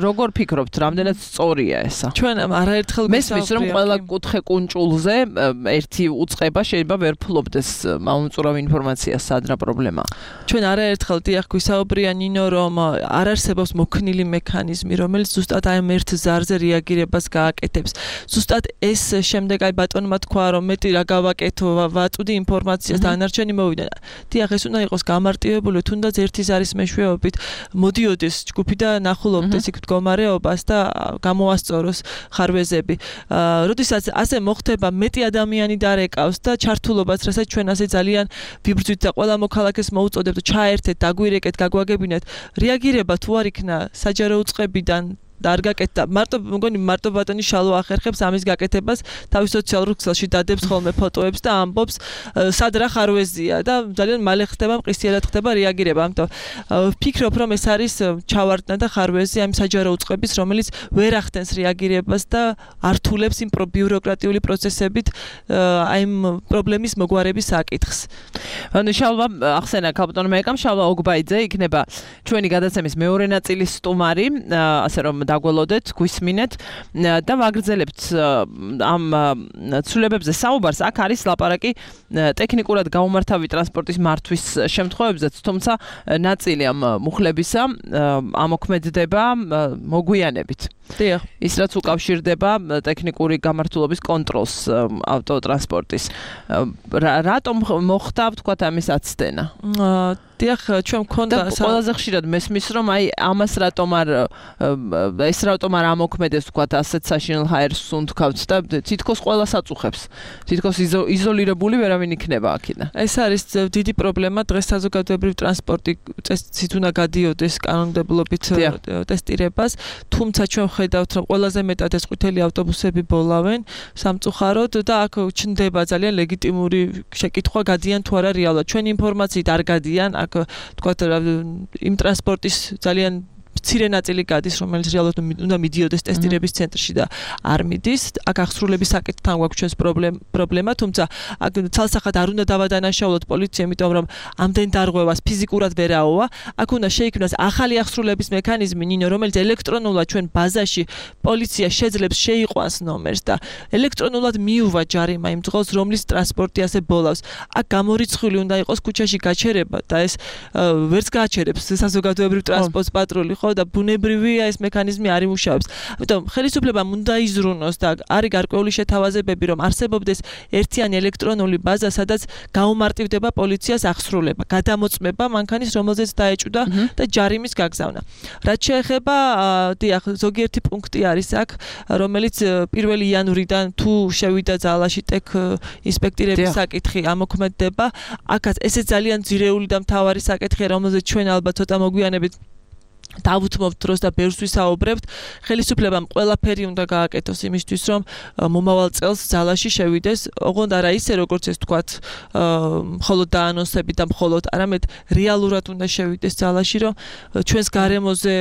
როგორ ფიქრობთ რამდენად სწორია ესა ჩვენ არაერთხელ მესმის რომ ყველა კუთხე კუნჭულზე ერთი უწყება შეიძლება ვერ ფლობდეს მაუნწურავ ინფორმაციას სად რა პრობლემაა ჩვენ არაერთხელ დიახ გვისაუბრია ნინო რომ არ არსებობს მოქნილი მექანიზმი რომელიც ზუსტად აი ამ ერთ ზარზე რეაგირებას გააკეთებს ზუსტად ეს შემდეგ აი ბატონმა თქვა რომ მეტი რა გავაკეთო ვაწვდი ინფორმაციას და ანარჩენი მოვიდა დიახ ეს უნდა იყოს გამარტივებული თუნდაც ერთი ზარის მეშვეობით მოდიოდეს ჯგუფი და ნახულობდეს იქ მდგომარეობას და გამოასწოროს ხარვეზები როდესაც ასე მოხდება მეტი ადამიანი დარეკავს და ჩართულობას რასაც ჩვენ ასე ძალიან ვიბრძვით და ყველა მოქალაქეს მოუწოდებთ ჩაერთეთ დაგვირეკეთ გაგვაგებინეთ რეაგირება თუ არ იქნა საჯარო უწყებიდან და არ გაკეთდა მარტო მგონი მარტო ბატონი შალო ახერხებს ამის გაკეთებას თავის სოციალურ ქსელში დადებს ხოლმე ფოტოებს და ამბობს სად რა ხარვეზია და ძალიან მალე ხდება მყისიერად ხდება რეაგირება ამიტომ ვფიქრობ რომ ეს არის ჩავარდნა და ხარვეზი ამ საჯარო უწყების რომელიც ვერ ახდენს რეაგირებას და ართულებს იმ ბიუროკრატიული პროცესებით აი იმ პრობლემის მოგვარების საკითხს ანუ შალვა ახსენა კაპიტანმა ეკამ შალვა ოგბაიძე იქნება ჩვენი გადაცემის მეორე ნაწილის სტუმარი ასე რომ დაგველოდეთ, გვისმინეთ და ვაგრძელებთ ამ ცვლილებებზე საუბარს. აქ არის ლაპარაკი ტექნიკურად გაუმართავი ტრანსპორტის მართვის შემთხვევებზეც, თუმცა ნაწილი ამ მუხლებისა ამოქმედდება მოგვიანებით. დიახ. ის რაც უკავშირდება ტექნიკური გამართულობის კონტროლს ავტოტრანსპორტის. რატომ მოხდა, ვთქვათ, ამის აცდენა? დიახ, ჩვენ მქონდა ყველაზე ხშირად მესმის რომ აი ამას რატომ არ ეს რატომ არ ამოქმედებს ვთქვათ ასეთ საშინელ ჰაერს უნთქავთ და თითქოს ყველას აწუხებს. თითქოს იზოლირებული ვერავინ იქნება აქედან. ეს არის დიდი პრობლემა დღეს საზოგადოებრივ ტრანსპორტი წესით უნდა გადიოდეს კანონმდებლობით ტესტირებას, თუმცა ჩვენ ხედავთ რომ ყველაზე მეტად ეს ყვითელი ავტობუსები ბოლავენ სამწუხაროდ და აქ ჩნდება ძალიან ლეგიტიმური შეკითხვა გადიან თუ არა რეალურად. ჩვენ ინფორმაციით არ გადიან აქ თქვათ იმ ტრანსპორტის ძალიან მცირე ნაწილი გადის, რომელიც რეალურად უნდა მიდიოდეს ტესტირების ცენტრში და არ მიდის. აქ აღსრულების საკითხთან გვაქვს ჩვენს პრობლემა, თუმცა აქ ცალსახად არ უნდა დავადანაშაულოთ პოლიცია, იმიტომ რომ ამდენ დარღვევას ფიზიკურად ვერ აოვა. აქ უნდა შეიქმნას ახალი აღსრულების მექანიზმი, ნინო, რომელიც ელექტრონულად ჩვენ ბაზაში პოლიცია შეძლებს შეიყვანს ნომერს და ელექტრონულად მიუვა ჯარიმა იმ დღეს, რომლის ტრანსპორტი ასე ბოლავს. აქ გამორიცხული უნდა იყოს ქუჩაში გაჩერება და ეს ვერც გააჩერებს საზოგადოებრივ ტრანსპორტს პატრული ხო და ბუნებრივია ეს მექანიზმი არ იმუშავებს. ამიტომ ხელისუფლებამ უნდა იზრუნოს და არის გარკვეული შეთავაზებები, რომ არსებობდეს ერთიანი ელექტრონული ბაზა, სადაც გაუმარტივდება პოლიციას აღსრულება, გადამოწმება მანქანის, რომელზეც დაეჭვდა და ჯარიმის გაგზავნა. რაც შეეხება, დიახ, ზოგიერთი პუნქტი არის აქ, რომელიც პირველი იანვრიდან თუ შევიდა ძალაში ტექ ინსპექტირების საკითხი ამოქმედდება. აქაც ესე ძალიან ძირეული და მთავარი საკითხია, რომელზეც ჩვენ ალბათ ცოტა მოგვიანებით დავუთმობთ დროს და ბევრს ვისაუბრებთ. ხელისუფლებამ ყველაფერი უნდა გააკეთოს იმისთვის, რომ მომავალ წელს ძალაში შევიდეს, ოღონდ არა ისე, როგორც ეს თქვათ, მხოლოდ დაანონსებით და მხოლოდ, არამედ რეალურად უნდა შევიდეს ძალაში, რომ ჩვენს გარემოზე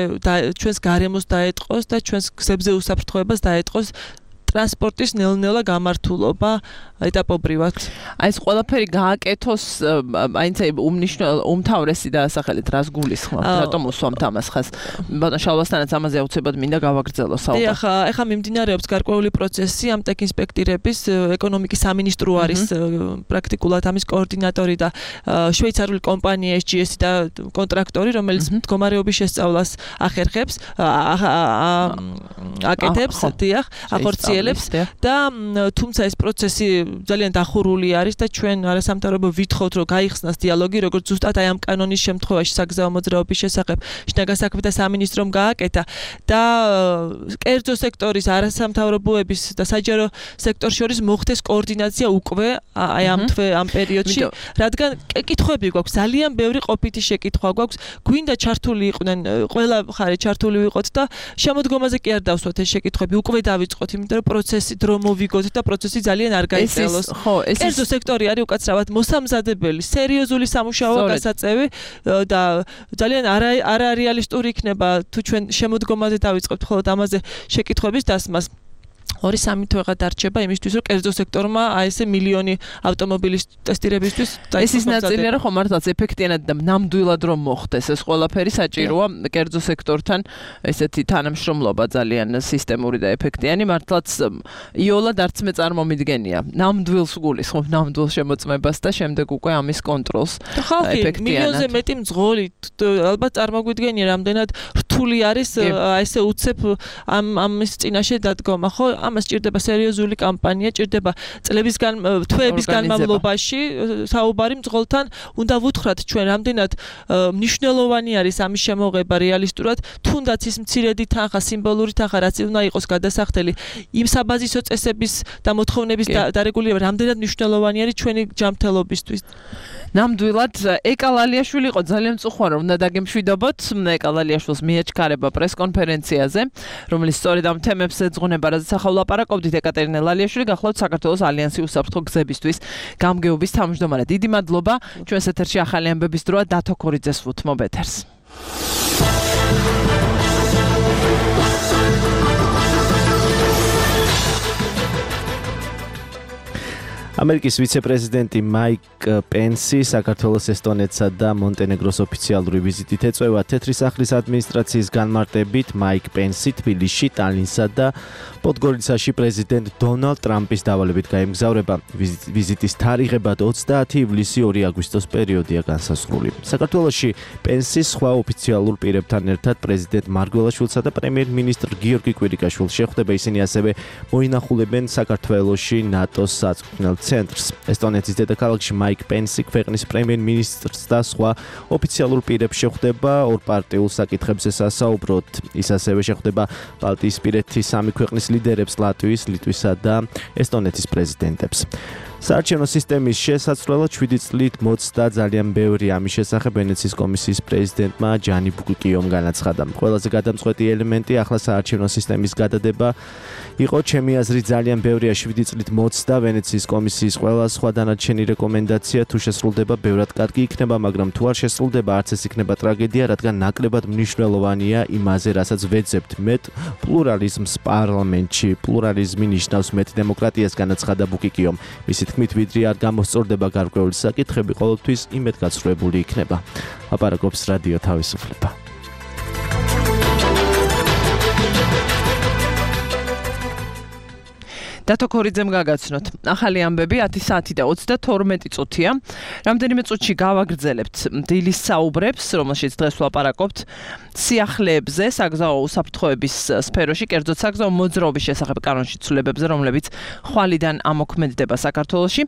ჩვენს გარემოს დაეტყოს და ჩვენს გზებზე უსაფრთხოებას დაეტყოს ტრანსპორტის ნელ-ნელა გამართულობა ეტაპობრივად. აი ეს ყველაფერი გააკეთოს, აინც უმნიშვნელო უმთავრესი დასახელეთ რას გულისხმობთ, რატომ უსვამთ ამას ხას. ბატონ შალვასთანაც ამაზე აუცილებლად მინდა გავაგრძელო საუბარი. დიახ, ეხლა მიმდინარეობს გარკვეული პროცესი ამ ტექ ინსპექტირების, ეკონომიკის სამინისტრო არის პრაქტიკულად ამის კოორდინატორი და შვეიცარიული კომპანია ეს ჯი ესი და კონტრაქტორი, რომელიც მდგომარეობის შესწავლას ახერხებს, აკეთებს, დიახ, ახორციელებს აგრძელებს და თუმცა ეს პროცესი ძალიან დახურული არის და ჩვენ არასამთავრობო ვითხოვთ რომ გაიხსნას დიალოგი როგორც ზუსტად აი ამ კანონის შემთხვევაში საგზაო მოძრაობის შესახებ შინაგან საქმეთა სამინისტრომ გააკეთა და კერძო სექტორის არასამთავრობოების და საჯარო სექტორ შორის მოხდეს კოორდინაცია უკვე აი ამ თვე ამ პერიოდში რადგან კითხვები გვაქვს ძალიან ბევრი ყოფითი შეკითხვა გვაქვს გვინდა ჩართული იყვნენ ყველა მხარე ჩართული ვიყოთ და შემოდგომაზე კი არ დავსვათ ეს შეკითხვები უკვე დავიწყოთ იმიტომ რომ პროცესი დრო მოვიგოთ და პროცესი ძალიან არ გაიწელოს ხო ეს კერძო სექტორი არის უკაცრავად მოსამზადებელი სერიოზული სამუშაო გასაწევი და ძალიან არარეალისტური იქნება თუ ჩვენ შემოდგომაზე დავიწყებთ მხოლოდ ამაზე შეკითხვების დასმას ორი სამი თვეღა დარჩება იმისთვის რომ კერძო სექტორმა აი ესე მილიონი ავტომობილის ტესტირებისთვის ეს ის ნაწილია რომ ხომ მართლაც ეფექტიანად და ნამდვილად რომ მოხდეს ეს ყველაფერი საჭიროა კერძო სექტორთან ესეთი თანამშრომლობა ძალიან სისტემური და ეფექტიანი მართლაც იოლად არც მე წარმომიდგენია ნამდვილს გულისხმობ ნამდვილ შემოწმებას და შემდეგ უკვე ამის კონტროლს ხალხი მილიონზე მეტი მძღოლი ალბათ წარმოგვიდგენია რამდენად რთული არის აი ესე უცებ ამ ამის წინაშე დადგომა ხო ამას ჭირდება სერიოზული კამპანია, ჭირდება წლების თვეების განმავლობაში საუბარი მძღოლთან. უნდა ვუთხრათ ჩვენ რამდენად მნიშვნელოვანი არის ამის შემოღება რეალისტურად, თუნდაც ის მცირედი თანხა, სიმბოლური თანხა, რაც უნდა იყოს გადასახდელი იმ საბაზისო წესების და მოთხოვნების დარეგულირება, რამდენად მნიშვნელოვანი არის ჩვენი ჯანმრთელობისთვის. ნამდვილად ეკალალიაშვილი იყო ძალიან მწუხვარი რომ უნდა დაგემშვიდობოთ ეკალალიაშვილს მიაჩქარება პრესკონფერენციაზე რომელიც სწორედ ამ თემებს ეძღვნება რაზეც ახლა ვლაპარაკობდით ეკატერინე ლალიაშვილი გახლავთ საქართველოს ალიანსი უსაფრთხო გზებისთვის გამგეობის თავმჯდომარე დიდი მადლობა ჩვენს ეთერში ახალი ამბების დროა დათო ქორიძეს ვუთმობ ეთერს ამერიკის ვიცე-პრეზიდენტი მაიკ პენსი საქართველოს ესტონეთსა და მონტენეგროს ოფიციალური ვიზიტით ეწევა თეთრი სახლის ადმინისტრაციის განმარტებით მაიკ პენსი თბილისში, ტალინსა და პოდგორიცაში პრეზიდენტ დონალდ ტრამპის დავალებით გაემგზავრება. ვიზიტის თარიღებად ოცდაათი ივლისი ორი აგვისტოს პერიოდია განსაზღვრული. საქართველოში პენსი სხვა ოფიციალურ პირებთან ერთად პრეზიდენტ მარგველაშვილსა და პრემიერ-მინისტრ გიორგი კვირიკაშვილს შეხვდება. ისინი ასევე მოინახულებენ საქართველოში ნატოს საწვრთნელ ცენტრს. ესტონეთის დედაქალაქში მაიკ პენსი ქვეყნის პრემიერ-მინისტრს და სხვა ოფიციალურ პირებს შეხვდება. ორ პარტიულ საკითხებზე სასაუბროდ ის ასევე შეხვდება ბალტიისპირეთის სამი ქვეყნის ლიდერებს ლატვიის, ლიტვისა და ესტონეთის პრეზიდენტებს. საარჩევნო სისტემის შესაძლებლად შვიდი წლით მოწდა ძალიან ბევრი ამის შესახებ ვენეციის კომისიის პრეზიდენტმა ჯანი ბუკიკიომ განაცხადა. ყველაზე გადამწყვეტი ელემენტი ახლა საარჩევნო სისტემის გადადება იყო ჩემი აზრით ძალიან ბევრია შვიდი წლით მოწდა ვენეციის კომისიის ყველა სხვა დანარჩენი რეკომენდაცია თუ შესრულდება ბევრად კარგი იქნება, მაგრამ თუ არ შესრულდება არც ეს იქნება ტრაგედია, რადგან ნაკლებად მნიშვნელოვანია იმაზე, რასაც ვეძებთ მეტ პლურალიზმს პარლამენტში. პლურალიზმი ნიშნავს მეტ დემოკრატიას განაცხადა ბუკიკიომ. მისი თქმით, ვიდრე არ გამოსწორდება გარკვეული საკითხები, ყოველთვის იმედგაცრუებული იქნება. აპარაკობს რადიო თავისუფლება. დათო ქორიძემ გაგაცნოთ. ახალი ამბები ათი საათი და ოცდათორმეტი წუთია. რამდენიმე წუთში გავაგრძელებთ დილის საუბრებს, რომელშიც დღეს ვლაპარაკობთ სიახლეებზე, საგზაო უსაფრთხოების სფეროში, კერძოდ საგზაო მოძრაობის შესახებ კანონში ცვლილებებზე, რომლებიც ხვალიდან ამოქმედდება საქართველოში.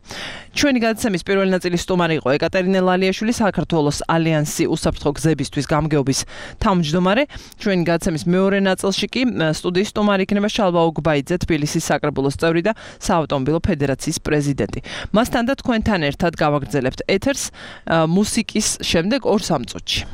ჩვენი გადაცემის პირველი ნაწილის სტუმარი იყო ეკატერინე ლალიაშვილი, საქართველოს ალიანსი უსაფრთხო გზებისთვის გამგეობის თავმჯდომარე. ჩვენი გადაცემის მეორე ნაწილში კი სტუდიის სტუმარი იქნება შალვა ოგბაიძე, თბილისის საკრებულოს წევრი და საავტომობილო ფედერაციის პრეზიდენტი. მასთან და თქვენთან ერთად გავაგრძელებთ ეთერს მუსიკის შემდეგ ორ სამ წუთში.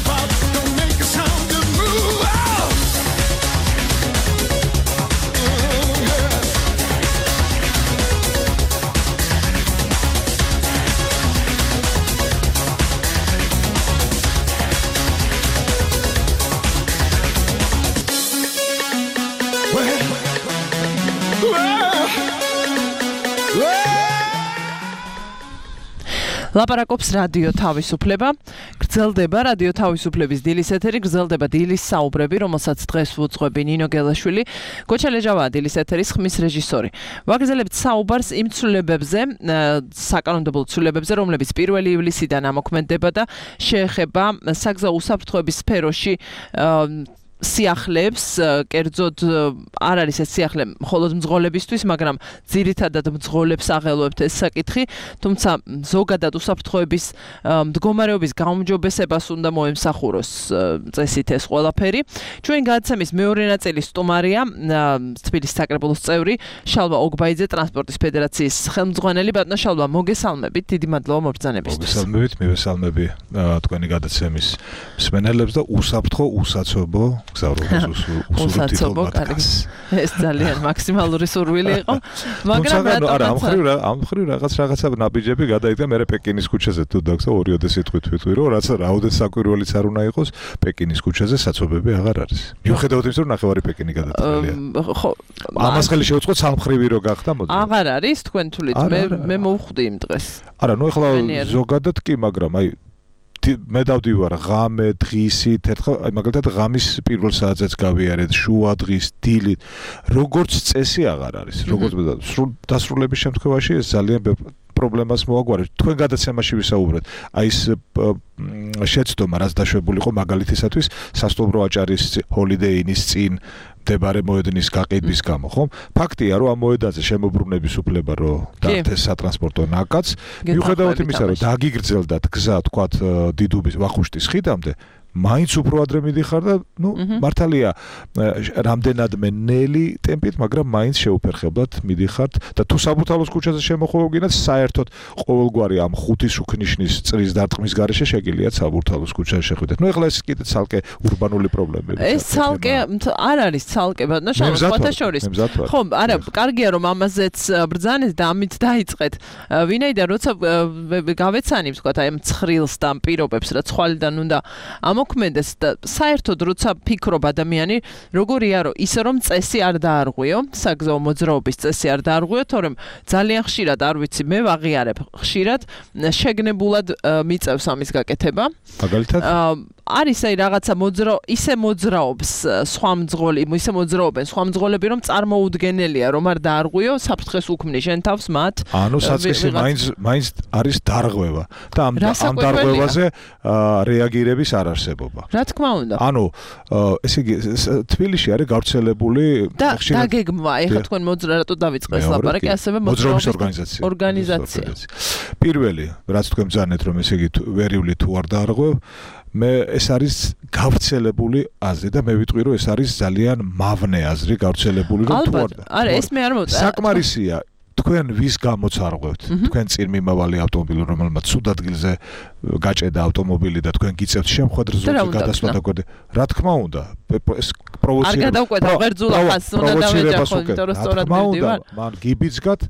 pop, don't make a sound, just move out. Mm, yeah. ლაპარაკობს რადიო თავისუფლება. გრძელდება რადიო თავისუფლების დილის ეთერი, გრძელდება დილის საუბრები, რომელსაც დღეს ვუძღვები ნინო გელაშვილი. გოჩა ლეჟავაა დილის ეთერის ხმის რეჟისორი. ვაგრძელებთ საუბარს იმ ცვლილებებზე, საკანონმდებლო ცვლილებებზე, რომლებიც პირველი ივლისიდან ამოქმედდება და შეეხება საგზაო უსაფრთხოების სფეროში სიახლეებს, კერძოდ არ არის ეს სიახლე მხოლოდ მძღოლებისთვის, მაგრამ ძირითადად მძღოლებს აღელვებთ ეს საკითხი, თუმცა ზოგადად უსაფრთხოების მდგომარეობის გაუმჯობესებას უნდა მოემსახუროს წესით ეს ყველაფერი. ჩვენ გადაცემის მეორე ნაწილის სტუმარია თბილისის საკრებულოს წევრი შალვა ოგბაიძე, ტრანსპორტის ფედერაციის ხელმძღვანელი. ბატონო შალვა, მოგესალმებით, დიდი მადლობა მობრძანებისთვის. მოგესალმებით, მივესალმები თქვენი გადაცემის მსმენელებს და უსაფრთხო უსაცობო უსაცობო ეს ძალიან მაქსიმალური სურვილი იყო, მაგრამ რატომ არა ამ ხრივ ამ ხრივ რაღაც რაღაცა ნაბიჯები გადაიდგა მე პეკინის ქუჩაზე თუ დაგსა ორიოდე სიტყვით ვიტყვი რომ რაც რაოდენ საკვირველიც არ უნდა იყოს პეკინის ქუჩაზე საცობები აღარ არის მიუხედავად იმისა რომ ნახევარი პეკინი გადაწყდილია ხო ამას ხელი შევუწყოთ სამხრივი რო გახდა მოდი აღარ არის თქვენ თulit მე მე მოვხვდი იმ დღეს არა ნუ ეხლა ზოგადად კი მაგრამ აი მე დავდივარ ღამე დღისით ერთხელ აი მაგალითად ღამის პირველ საათზეც გავიარეთ შუა დღის დილით როგორც წესი აღარ არის როგორც დასრულების შემთხვევაში ეს ძალიან პრობლემას მოაგვარებს თქვენ გადაცემაში ვისაუბრეთ აი ეს შეცდომა რაც დაშვებული იყო მაგალითისათვის სასტუმრო აჭარის ჰოლიდეინის წინ მდებარე მოედნის გაყიდვის გამო, ხო? ფაქტია, რომ ამ მოედანზე შემოbrunების უფლება რო დაარჩეს სატრანსპორტო ნაკადს, მიუხედავად იმისა, რომ დაგიგრძელდათ გზა, თქვათ, დიდუბის ვახუშტის ხიდამდე, მაინც უფრო ადრე მიდიხარ და, ну, მართალია, რამდენადმე ნელი ტემპით, მაგრამ მაინც შეუფერხებლად მიდიხართ და თუ საბურთალოს ქუჩაზე შემოხვევგინათ, საერთოდ ყოველგვარი ამ ხუთი შუქნიშნის წრის დარტყმის გარეშე შეგიძლიათ საბურთალოს ქუჩაზე შეხვიდეთ. ну, ეხლა ეს კიდე ცალკე ურბანული პრობლემები. ეს ცალკე არ არის ცალკე, ბატონო, შევხვდეთ შორის. ხო, არა, კარგია რომ ამაზეც ბრძანეთ და ამით დაიწყეთ. ვინაიდან როცა გავეცანით, თქვა, აი ამ ცხრილს და ამ პირობებს, რაც ხვალიდან უნდა მოქმედეს და საერთოდ როცა ფიქრობ ადამიანი როგორია რომ ისე რომ წესი არ დაარღვიო საგზაო მოძრაობის წესი არ დაარღვიო თორემ ძალიან ხშირად არ ვიცი მე ვაღიარებ ხშირად შეგნებულად მიწევს ამის გაკეთება მაგალითად არის აი რაღაცა მოძრა ისე მოძრაობს სხვა მძღოლი ისე მოძრაობენ სხვა მძღოლები რომ წარმოუდგენელია რომ არ დაარღვიო საფრთხეს უქმნი შენ თავს მათ ანუ საწყისი მაინც მაინც არის დარღვევა და ამ ამ დარღვევაზე რეაგირების არ არსებობა რა თქმა უნდა ანუ ესე იგი თბილისში არის გავრცელებული ხშირად დაგეგმვა ეხლა თქვენ მოძრა რატო დავიწყეს ლაპარაკი ასევე მოძრაობის ორგანიზაცია ორგანიზაცია პირველი რაც თქვენ ბრძანეთ რომ ესე იგი ვერიული თუ არ დაარღვევ მე ეს არის გავრცელებული აზრი და მე ვიტყვი რომ ეს არის ძალიან მავნე აზრი გავრცელებული რომ თუ არ არა ეს მე არ მოვწა საკმარისია თქვენ ვის გამოც არღვევთ თქვენ წინ მიმავალი ავტომობილი რომელმაც სულ ადგილზე გაჭედა ავტომობილი და თქვენ გიწევთ შემხვედრ ზოლზე გადასვლა და გვერდი რა თქმა უნდა ეს პროვოცირება არ გადავკვეთა ღერძულა ხას უნდა დავეჯახო იმიტომ რომ სწორად მივდივარ მან გიბიძგათ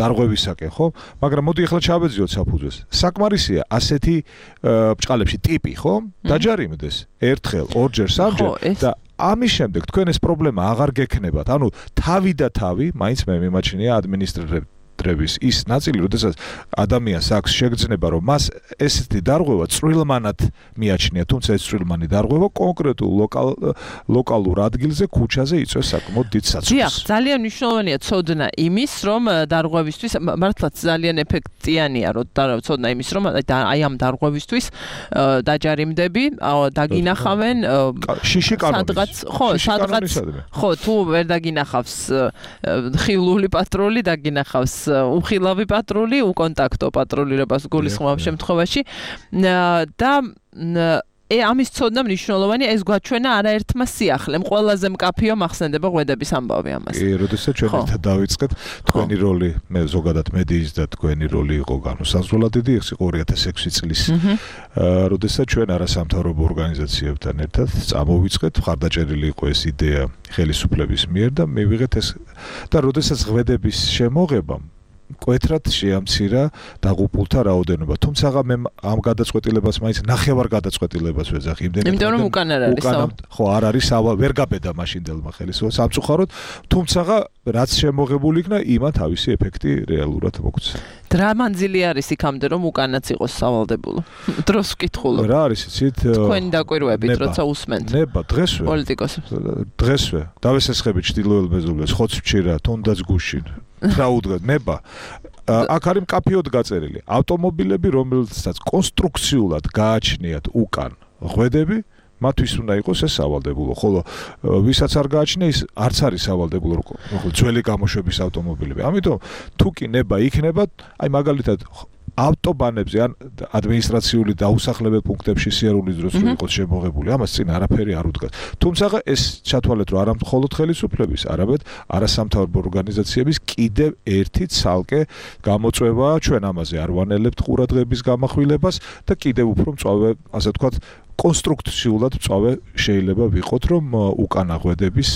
დარღვევისაკენ ხო მაგრამ მოდი ახლა ჩავეძიოთ საფუძვეს საკმარისია ასეთი ბჭყალებში ტიპი ხო დაჯარიმდეს ერთხელ ორჯერ სამჯერ და ამის შემდეგ თქვენ ეს პრობლემა აღარ გექნებათ. ანუ თავი და თავი, მაინც მე მიმაჩნია ადმინისტრატორების ის ნაწილი, როდესაც ადამიანს აქვს შეგრძნება, რომ მას ესეთი დარღვევა წვრილმანად მიაჩნია, თუმცა ეს წვრილმანი დარღვევა კონკრეტულ ლოკალ ლოკალურ ადგილზე, ქუჩაზე იწვევს საკმაოდ დიდ საცოლს. დიახ, ძალიან მნიშვნელოვანია ცოდნა იმის, რომ დარღვევისთვის მართლაც ძალიან ეფექტიანია, რომ ცოდნა იმის, რომ აი ამ დარღვევისთვის დაჯარიმდები, დაგინახავენ შიში კანონის. ხო, სადღაც ხო, თუ ვერ დაგინახავს ხილული პატრული, დაგინახავს უხილავი პატრული, უკონტაქტო პატრულირებას გულისხმობ შემთხვევაში და ე ამის ცოდნა მნიშვნელოვანი ეს გვაჩვენა არაერთმა სიახლემ ყველაზე მკაფიო მახსენდება ღვედების ამბავი ამას. კი, როდესაც ჩვენ ერთად დავიწყეთ, თქვენი როლი, მე ზოგადად მედიის და თქვენი როლი იყო განუსაზღვრელად დიდი, ეს იყო ორი ათას ექვსი წლის. აა, როდესაც ჩვენ არასამთავრობო ორგანიზაციებთან ერთად წამოვიწყეთ, მხარდაჭერილი იყო ეს იდეა ხელისუფლების მიერ და მივიღეთ ეს და როდესაც ღვედების შემოღებამ კვეთრად შეამცირა დაღუპულთა რაოდენობა. თუმცა მე ამ გადაწყვეტილებას მაინც ნახევარ გადაწყვეტილებას ვეძახი იმდენად. იმიტომ რომ უკან არ არის. ხო, არ არის სავა, ვერ გაბედა მაშინდელმა ხელისუფლებას სამწუხაროდ, თუმცა რაც შემოღებული იქნა, იმან თავისი ეფექტი რეალურად მოგვცა. რა მანძილი არის იქამდე რომ უკანაც იყოს სავალდებულო? დროს ვკითხულობ. რა არის იცით? თქვენი დაკვირვებით, როცა უსმენთ. ნება, დღესვე. პოლიტიკოსებს. დღესვე. დავესესხებით ჩtildeოელ მეზობლებს, ხოცვჩირა, თუნდაც გუშინ. რაუდგა ნება აქ არის მკაფიოდ გაწერილი ავტომობილები რომელსაც კონსტრუქციულად გააჩნიათ უკან ღვედები მათთვის უნდა იყოს ეს სავალდებულო ხოლო ვისაც არ გააჩნია ის არც არის სავალდებულო ხო ძველი გამოშვების ავტომობილები ამიტომ თუ კი ნება იქნება აი მაგალითად ავტობანებზე ან ადმინისტრაციული დაუსახლებელ პუნქტებში სიარულის დროს იყოს შემოღებული ამას წინ არაფერი არ უდგას თუმცა ეს ჩათვალეთ რომ არა მხოლოდ ხელისუფლების არამედ არასამთავრობო ორგანიზაციების კიდევ ერთი ცალკე გამოწვევაა ჩვენ ამაზე არ ვანელებთ ყურადღების გამახვილებას და კიდევ უფრო მწვავე ასე ვთქვათ კონსტრუქციულად მწვავე შეიძლება ვიყოთ რომ უკანაღვედების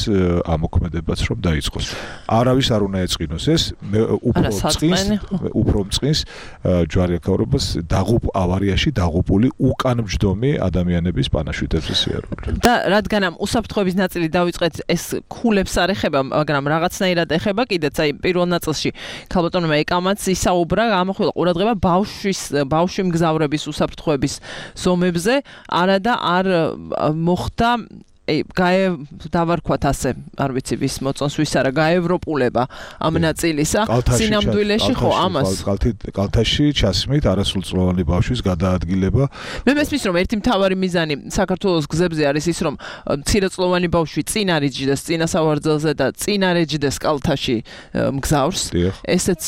ამოქმედებაც რომ დაიწყოს. არავის არ უნდა ეწყინოს ეს უფრო წყის უფრო წყის ჯვარიაქაურობას დაღუპ ავარიაში დაღუპული უკანმჯდომი ადამიანების პანაშვიდებზე სიარული. და რადგან ამ უსაფრთხოების ნაწილი დავიწყეთ ეს ქულებს არ ეხება მაგრამ რაღაცნაირად ეხება კიდეც აი პირველ ნაწილში ქალბატონმა ეკამაც ისაუბრა ამახვილა ყურადღება ბავშვის ბავშვი მგზავრების უსაფრთხოების ზომებზე და არ მოხდა გაე დავარქვათ ასე არ ვიცი ვის მოწონს ვის არა გაევროპულება ამ ნაწილისა სინამდვილეში ხო ამას კალთაში ჩასმით არასრულწლოვანი ბავშვის გადაადგილება მე მესმის რომ ერთი მთავარი მიზანი საქართველოს გზებზე არის ის რომ მცირეწლოვანი ბავშვი წინ არ იჯდეს წინასავარძელზე და წინ არ ეჯდეს კალთაში მგზავრს ესეც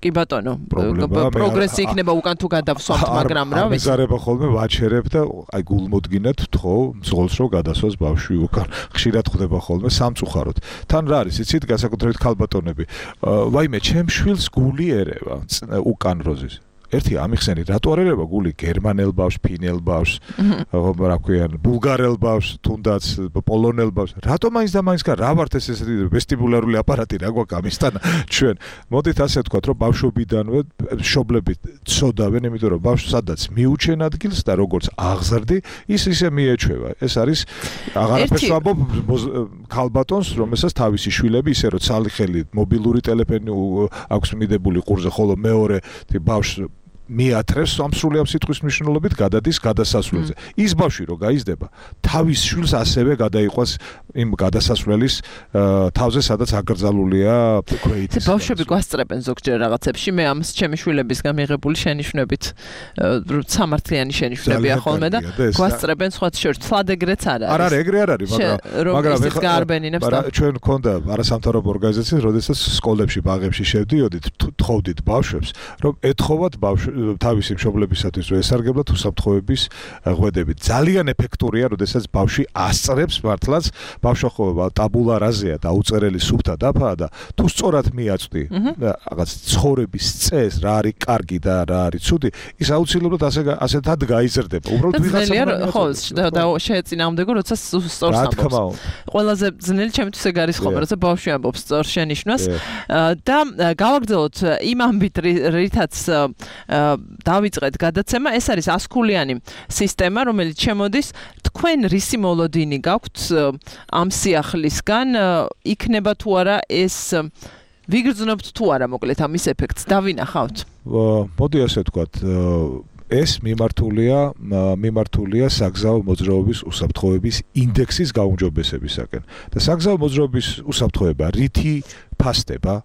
კი ბატონო პროგრესი იქნება უკან თუ გადავსვამთ მაგრამ რა ვიცი მეზარება ხოლმე ვაჩერებ და აი გულმოდგინად თხოვ მძღოლს რომ გადასვას ბავშვი უკან ხშირად ხდება ხოლმე სამწუხაროდ თან რა არის იცით განსაკუთრებით ქალბატონები ვაიმე ჩემ შვილს გული ერევა უკან როზის ერთი ამიხსენი რატო არ ერევა გული გერმანელ ბავშვს ფინელ ბავშვს რა ქვია ბულგარელ ბავშვს თუნდაც პოლონელ ბავშვს რატო მაინც და მაინც რა ვართ ეს ესეთი ვესტიბულარული აპარატი რა გვაქვს ამისთან ჩვენ მოდით ასე ვთქვათ რომ ბავშვობიდანვე მშობლები ცოდავენ იმიტომ რომ ბავშვს სადაც მიუჩენ ადგილს და როგორც აღზრდი ის ისე მიეჩვევა ეს არის აღარაფერს ვამბობ ქალბატონს რომელსაც თავისი შვილები ისე რომ ცალი ხელით მობილური ტელეფონი აქვს მიდებული ყურზე ხოლო მეორე ბავშვს მიათრევს სამსრულიად სიტყვის მნიშვნელობით გადადის გადასასვლელზე. ის ბავშვი რო გაიზრდება, თავის შვილს ასევე გადაიყვანს იმ გადასასვლელის თავზე, სადაც აკრძალულია ქვეითი. ბავშვები გვასწრებენ ზოგჯერ რაღაცებში, მე ამს ჩემი შვილებისგან მიღებული შენიშვნებით სამართლიანი შენიშვნებია ხოლმე და გვასწრებენ სხვა შორის. თლად ეგრეც არ არის. არ არის, ეგრე არ არის, მაგრამ მაგრამ ეს გაარბენინებს და ჩვენ მქონდა არასამთავრობო ორგანიზაციას, როდესაც სკოლებში, ბაღებში შევდიოდით, თხოვდით ბავშვებს, რომ ეთხოვათ ბავშვ თავისი მშობლებისათვის რომ ესარგებლოთ უსაფრთხოების ღვედებით. ძალიან ეფექტურია, როდესაც ბავშვი ასწრებს მართლაც, ბავშვა ხო ტაბულა რაზეა და უწერელი სუფთა დაფაა და თუ სწორად მიაწვდი რაღაც ცხოვრების წესს, რა არის კარგი და რა არის ცუდი, ის აუცილებლად ასე ასეთად გაიზრდება. უბრალოდ ვიღაცა ხო და შეეწინააღმდეგო, როცა სწორს ამბობს. ყველაზე ძნელი ჩემთვის ეგ არის ხოლმე, როცა ბავშვი ამბობს სწორ შენიშვნას და გავაგრძელოთ იმ ამბით, რითაც დავიწყეთ გადაცემა, ეს არის ასქულიანი სისტემა, რომელიც შემოდის თქვენ რისი მოლოდინი გაქვთ ამ სიახლისგან, იქნება თუ არა ეს ვიგრძნობთ თუ არა მოკლედ ამის ეფექტს დავინახავთ. მოდი ასე ვთქვათ, ეს მიმართულია მიმართულია საგზაო მოძრაობის უსაფრთხოების ინდექსის გაუმჯობესებისაკენ. და საგზაო მოძრაობის უსაფრთხოება რითი ფასდება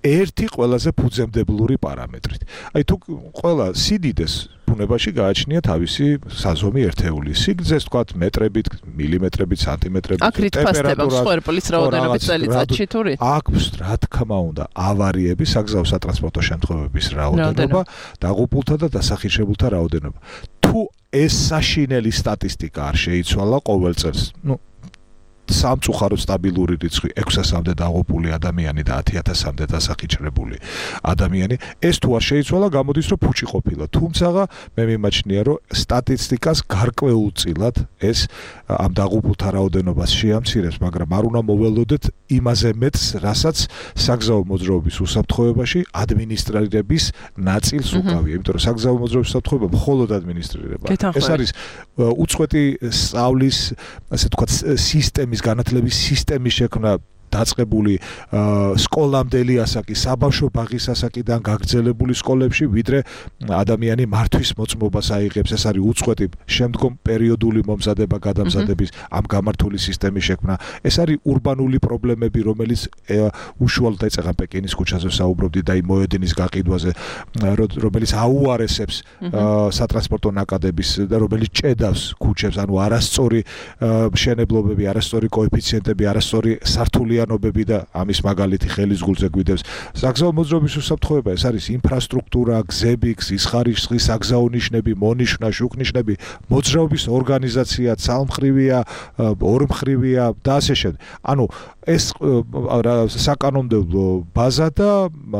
ერთი ყველაზე ფუძემდებლური პარამეტრით. აი თუ ყველა სიდიდეს ბუნებაში გააჩნია თავისი საზომი ერთეული. სიგრძეს თქვათ მეტრებით, მილიმეტრებით, სანტიმეტრებით, ტემპერატურას, სხერპლის რაოდენობით წელიწადში თუ რით? აქვს, რა თქმა უნდა, ავარიები, საგზაო სატრანსპორტო შემთხვევების რაოდენობა, დაღუპულთა და დასახიშებულთა რაოდენობა. თუ ეს საშინელი სტატისტიკა არ შეიცვალა ყოველ წელს, ну სამწუხაროდ სტაბილური რიცხვი ექვსი ათასამდე დაღუპული ადამიანი და ათი ათასამდე დასახიჩრებული ადამიანი, ეს თუ არ შეიცვალა, გამოდის რომ ფუჭი ყოფილა. თუმცა მე მიმაჩნია, რომ სტატისტიკას გარკვეულწილად ეს ამ დაღუპულთა რაოდენობას შეამცირებს, მაგრამ არ უნდა მოველოდეთ იმაზე მეტს, რასაც საგზაო მოძრაობის უსაფრთხოებაში ადმინისტრირების ნაწილს უკავია. იმიტომ რომ საგზაო მოძრაობის უსაფრთხოება მხოლოდ ადმინისტრირება. ეს არის უწყვეტი სწავლის, ასე ვთქვათ, სისტემის განათლების სისტემის შექმნა დაწყებული სკოლამდელი ასაკი, საბავშვო ბაღის ასაკიდან გაგრძელებული სკოლებში, ვიდრე ადამიანი მართვის მოწმობას აიღებს. ეს არის უწყვეტი შემდგომ პერიოდული მომზადება გადამზადების ამ გამართული სისტემის შექმნა. ეს არის урბანული პრობლემები, რომელიც უშუალოდ ეწევა პეკინის ქუჩაზე საუბრობდი და იმ მოედინის გაყიდვაზე, რომელიც აუარესებს სატრანსპორტო ნაკადების და რომელიც ჭედავს ქუჩებს, ანუ არასწორი მშენებლობები, არასწორი კოეფიციენტები, არასწორი სართულიანი და ამის მაგალითი ხელის გულზე გვიდევს. საგზაო მოძრაობის უსაფრთხოება, ეს არის ინფრასტრუქტურა, გზები, გზის ხარისხი, საგზაო ნიშნები, მონიშნა, შუქნიშნები, მოძრაობის ორგანიზაცია, ცალმხრივია, ორმხრივია და ასე შემდეგ. ანუ ეს საკანონმდებლო ბაზა და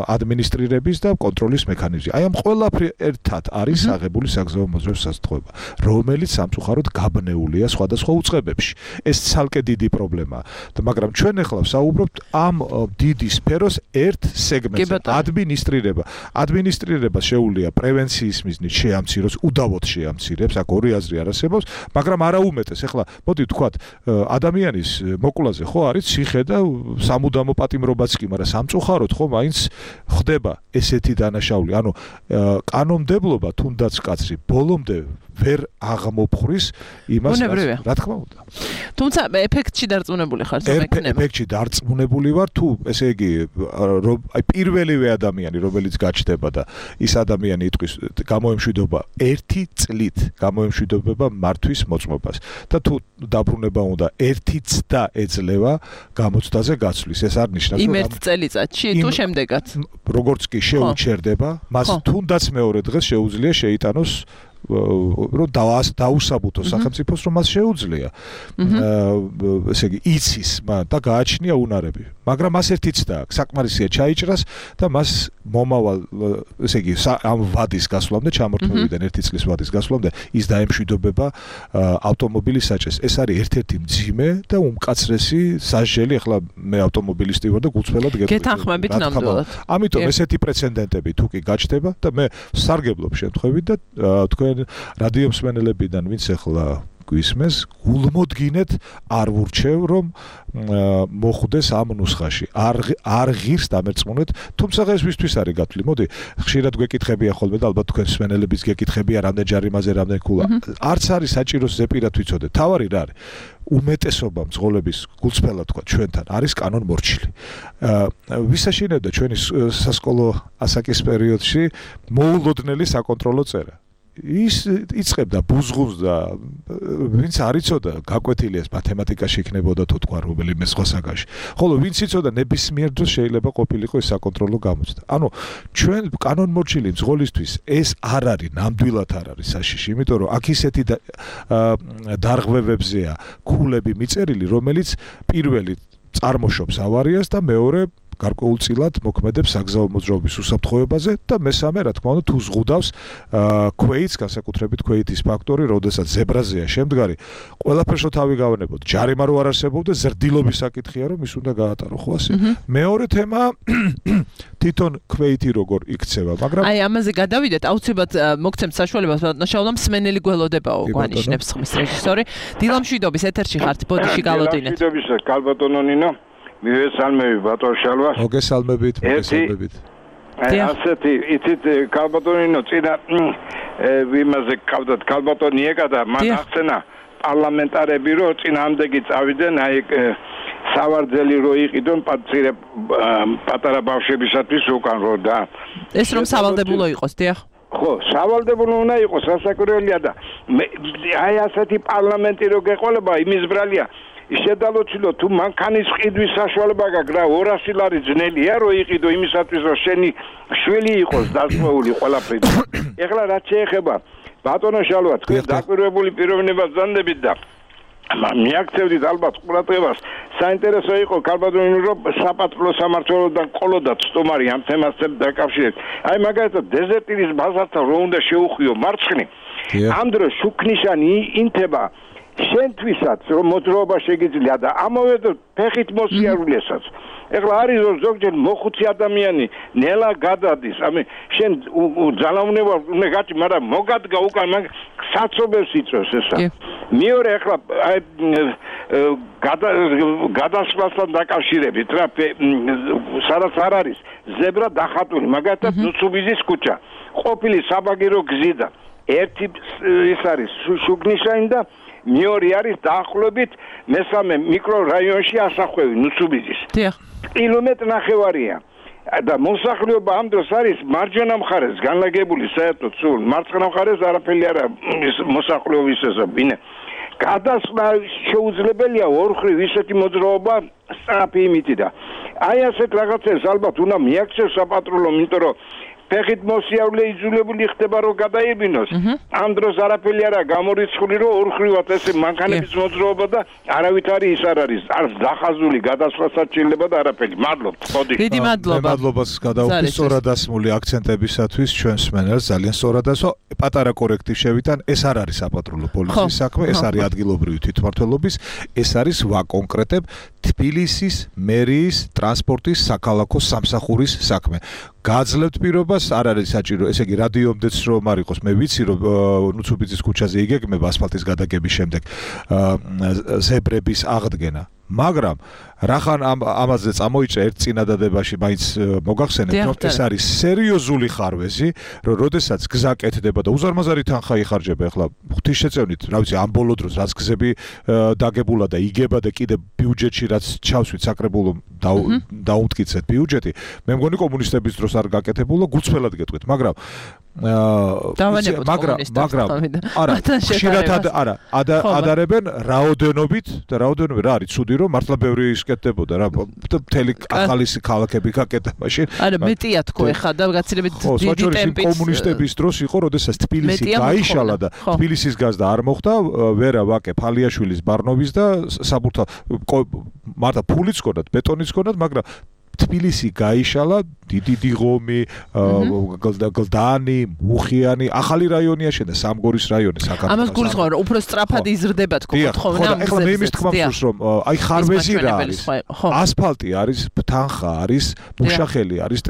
ადმინისტრირების და კონტროლის მექანიზმი. აი ამ ყველაფერი ერთად არის აღებული საგზაო მოძრაობის უსაფრთხოება, რომელიც სამწუხაროდ გაბნეულია სხვადასხვა უწყებებში. ეს ცალკე დიდი პრობლემაა. მაგრამ ჩვენ ახლა საუბრობთ ამ დიდი სფეროს ერთ სეგმენტზე. ადმინისტრირება. ადმინისტრირება შეუძლია პრევენციის მიზნით შეამციროს, უდავოდ შეამცირებს, აქ ორი აზრი არ არსებობს, მაგრამ არა უმეტეს. ახლა მოდი ვთქვათ, ადამიანის მოკლაზე ხო არის ციხე და სამუდამო პატიმრობაც კი, მაგრამ სამწუხაროდ ხო მაინც ხდება ესეთი დანაშაული. ანუ კანონმდებლობა თუნდაც კაცრი ბოლომდე ვერ აღმოფხრის იმას, რა თქმა უნდა. თუმცა ეფექტში დარწმუნებული ხარ, რომ ეკნება. ეფექტში დარწმუნებული ვარ, თუ ესე იგი აი პირველივე ადამიანი, რომელიც გაჩნდება და ის ადამიანი იტყვის გამოემშვიდობა ერთი წლით, გამოემშვიდობა მართვის მოწმობას და თუ დაბრუნება უნდა ერთი წდა ეძლევა გამოცდაზე გაცვლის. ეს არ ნიშნავს, რომ იმ ერთ წელიწადში თუ შემდეგაც როგორც კი შეუჩერდება, მას თუნდაც მეორე დღეს შეუძლია შეიტანოს რომ დაუსაბუთოს სახელმწიფოს, რომ მას შეუძლია ესე იგი იცის და გააჩნია უნარები. მაგრამ მას ერთი ცდა აქვს, საკმარისია ჩაიჭრას და მას მომავალ ესე იგი ამ ვადის გასვლამდე, ჩამორთმევიდან ერთი წლის ვადის გასვლამდე ის დაემშვიდობება ავტომობილის საჭეს. ეს არის ერთ-ერთი მძიმე და უმკაცრესი სასჯელი. ახლა მე ავტომობილისტი ვარ და გულწრფელად გეტყვით. გეთანხმებით ნამდვილად. ამიტომ ესეთი პრეცედენტები თუ კი გაჩნდება და მე სარგებლობ შემთხვევით და თქვენ რადიო მსმენელებიდან ვინც ახლა გვისმენს, გულმოდგინეთ არ ვურჩევ, რომ მოხვდეს ამ ნუსხაში. არ არ ღირს დამერწმუნეთ, თუმცა ეს ვისთვის არის გათვლი. მოდი, ხშირად გვეკითხებია ხოლმე და ალბათ თქვენ მსმენელებიც გეკითხებია, რამდენ ჯარიმაზე, რამდენ ქულა. არც არის საჭირო ზეპირად ვიცოდეთ. თავარი რა არის? უმეტესობა მძღოლების გულწრფელად თქვა ჩვენთან არის კანონმორჩილი. ვისაშინებდა ჩვენი სასკოლო ასაკის პერიოდში მოულოდნელი საკონტროლო წერა. ის იწყებდა ბუზღუნს და ვინც არ იცოდა გაკვეთილი ეს მათემატიკაში იქნებოდა თუ თქვა რომელიმე სხვა საგანში. ხოლო ვინც იცოდა ნებისმიერ დროს შეიძლება ყოფილიყო ეს საკონტროლო გამოცდა. ანუ ჩვენ კანონმორჩილი მძღოლისთვის ეს არ არის, ნამდვილად არ არის საშიში, იმიტომ რომ აქ ისეთი დარღვევებზეა ქულები მიწერილი, რომელიც პირველი წარმოშობს ავარიას და მეორე გარკვეულწილად მოქმედებს საგზაო მოძრაობის უსაფრთხოებაზე და მესამე, რა თქმა უნდა, თუ ზღუდავს ქვეითს, განსაკუთრებით ქვეითის ფაქტორი, როდესაც ზებრაზეა შემდგარი, ყველაფერს თავი გავანებოთ. ჯარიმა რო არ არსებობდეს, ზრდილობის საკითხია, რომ ის უნდა გაატარო, ხო ასე. მეორე თემა თვითონ ქვეითი როგორ იქცევა, მაგრამ აი ამაზე გადავიდეთ, აუცილებლად მოგცემთ საშუალებას, ბატონო, მსმენელი გველოდებაო გვანიშნებს ხმის რეჟისორი. დილამშვიდობის ეთერში ხართ, ბოდიში გალოდინეთ. დილამშვიდობის კალბატონო ნინო. მივესალმები ბატონ შალვას. მოგესალმებით, მოგესალმებით. ასეთი იცით კალბატონინო წინა ვიმაზე ყავდათ კალბატონი ეკა და მან ახსენა პარლამენტარები რომ წინააღმდეგი წავიდნენ აი სავარძელი რო იყიდონ პატარა პატარა ბავშვებისათვის უკან რო და ეს რომ სავალდებულო იყოს, დიახ. ხო, სავალდებულო უნდა იყოს, სასაკურველია და აი ასეთი პარლამენტი რო გეყოლება, იმის ბრალია შედალოცილო თუ მანქანის ყიდვის საშუალება გაქვს რა ორასი ლარი ძნელია რო იყიდო იმისათვის რომ შენი შვილი იყოს დასწვეული ყველაფერი. ეხლა რაც შეეხება ბატონო შალვა თქვენ დაკვირვებული პიროვნებას ზანდებით და მიაქცევდით ალბათ ყურადღებას საინტერესო იყო ქალბატონი რომ საპატრულო სამმართველოდან ყოლოდათ სტუმარი ამ თემასთან დაკავშირებით. აი მაგალითად დეზერტირის ბაზართან რო უნდა შეუხვიო მარცხნი ამ დროს შუქნიშანი ინთება შენთვისაც რომ მოძრაობა შეგიძლია და ამავე დროს ფეხით მოსიარულესაც. ეხლა არის რომ ზოგჯერ მოხუცი ადამიანი ნელა გადადის, ამე შენ ძალაუნება უნდა გაჭი, მაგრამ მოგადგა უკან მაგ საცობებს იწევს ესა. მეორე ეხლა აი გადასვლასთან დაკავშირებით რა სადაც არ არის ზებრა დახატული, მაგალითად ნუცუბიზის ქუჩა. ყოფილი საბაგირო გზიდან ერთი ის არის შუქნიშანი და მეორე არის დაახლოებით მესამე მიკრორაიონში ასახვევი ნუცუბიზის. დიახ. კილომეტრი ნახევარია. და მოსახლეობა ამ დროს არის მარჯვენა მხარეს განლაგებული საერთოდ სულ მარცხენა მხარეს არაფერი არა მოსახლეობის ესაბინე. გადასვლა შეუძლებელია ორხრივ ისეთი მოძრაობა სწრაფი იმითი და აი ასეთ რაღაცებს ალბათ უნდა მიაქცევს საპატრულო, იმიტომ რომ ფეხით მოსიარულე იძულებული ხდება რომ გადაიბინოს. ამ დროს არაფერი არა გამორიცხული რომ ორხრივად ესე მანქანების მოძრაობა და არავითარი ის არ არის. არც დახაზული გადასვლასაც შეიძლება და არაფერი. მადლობთ. ხოდი. დიდი მადლობა. მადლობას გადავხდი სწორად დასმული აქცენტებისათვის ჩვენს მენელს ძალიან სწორად ასო პატარა კორექტივ შევიტან ეს არ არის საპატრულო პოლიციის საქმე, ეს არის ადგილობრივი თვითმმართველობის, ეს არის ვაკონკრეტებ თბილისის მერიის ტრანსპორტის საქალაქო სამსახურის საქმე. გააძლევთ პირობას, არ არის საჭირო, ესე იგი რადიომდეც რომ არ იყოს, მე ვიცი რომ ნუცუბიძის ქუჩაზე იგეგმება ასფალტის გადაგების შემდეგ ზებრების აღდგენა. მაგრამ რახან ამ ამაზე წამოიჭრა ერთ წინადადებაში მაინც მოგახსენებთ რომ ეს არის სერიოზული ხარვეზი რომ როდესაც გზა კეთდება და უზარმაზარი თანხა იხარჯება ახლა ღვთისშეწევნით რა ვიცი ამ ბოლო დროს რაც გზები დაგებულა და იგება და კიდე ბიუჯეტში რაც ჩავსვით საკრებულო დაუმტკიცეთ ბიუჯეტი მე მგონი კომუნისტების დროს არ გაკეთებულა გუცფელად გეტყვით მაგრამ მაგრამ მაგრამ არა ხშირად არა ადარებენ რაოდენობით და რაოდენობით რა არის ცუდი რომ მართლა ბევრი ისკეთდებოდა რა მთელი ახალი ქალაქები გაკეთდა მაშინ არა მეტია თქო ეხა და გაცილებით დიდი ტემპით კომუნისტების დროს იყო როდესაც თბილისი გაიშალა და თბილისის გაზდა არ მოხდა ვერა ვაკე ფალიაშვილის ბარნოვის და საბურთა მარტა ფულიც ქონდათ ბეტონიც ქონდათ მაგრამ თბილისი გაიშალა დიდი დიღომი გლდანი მუხიანი ახალი რაიონია შენდა სამგორის რაიონი საქართველოს ამას გულისხმობ რომ უფრო სწრაფად იზრდება თქო თქო ხო ეხლა მე იმის თქმა მგონს რომ აი ხარვეზი რა არის ასფალტი არის თანხა არის მუშახელი არის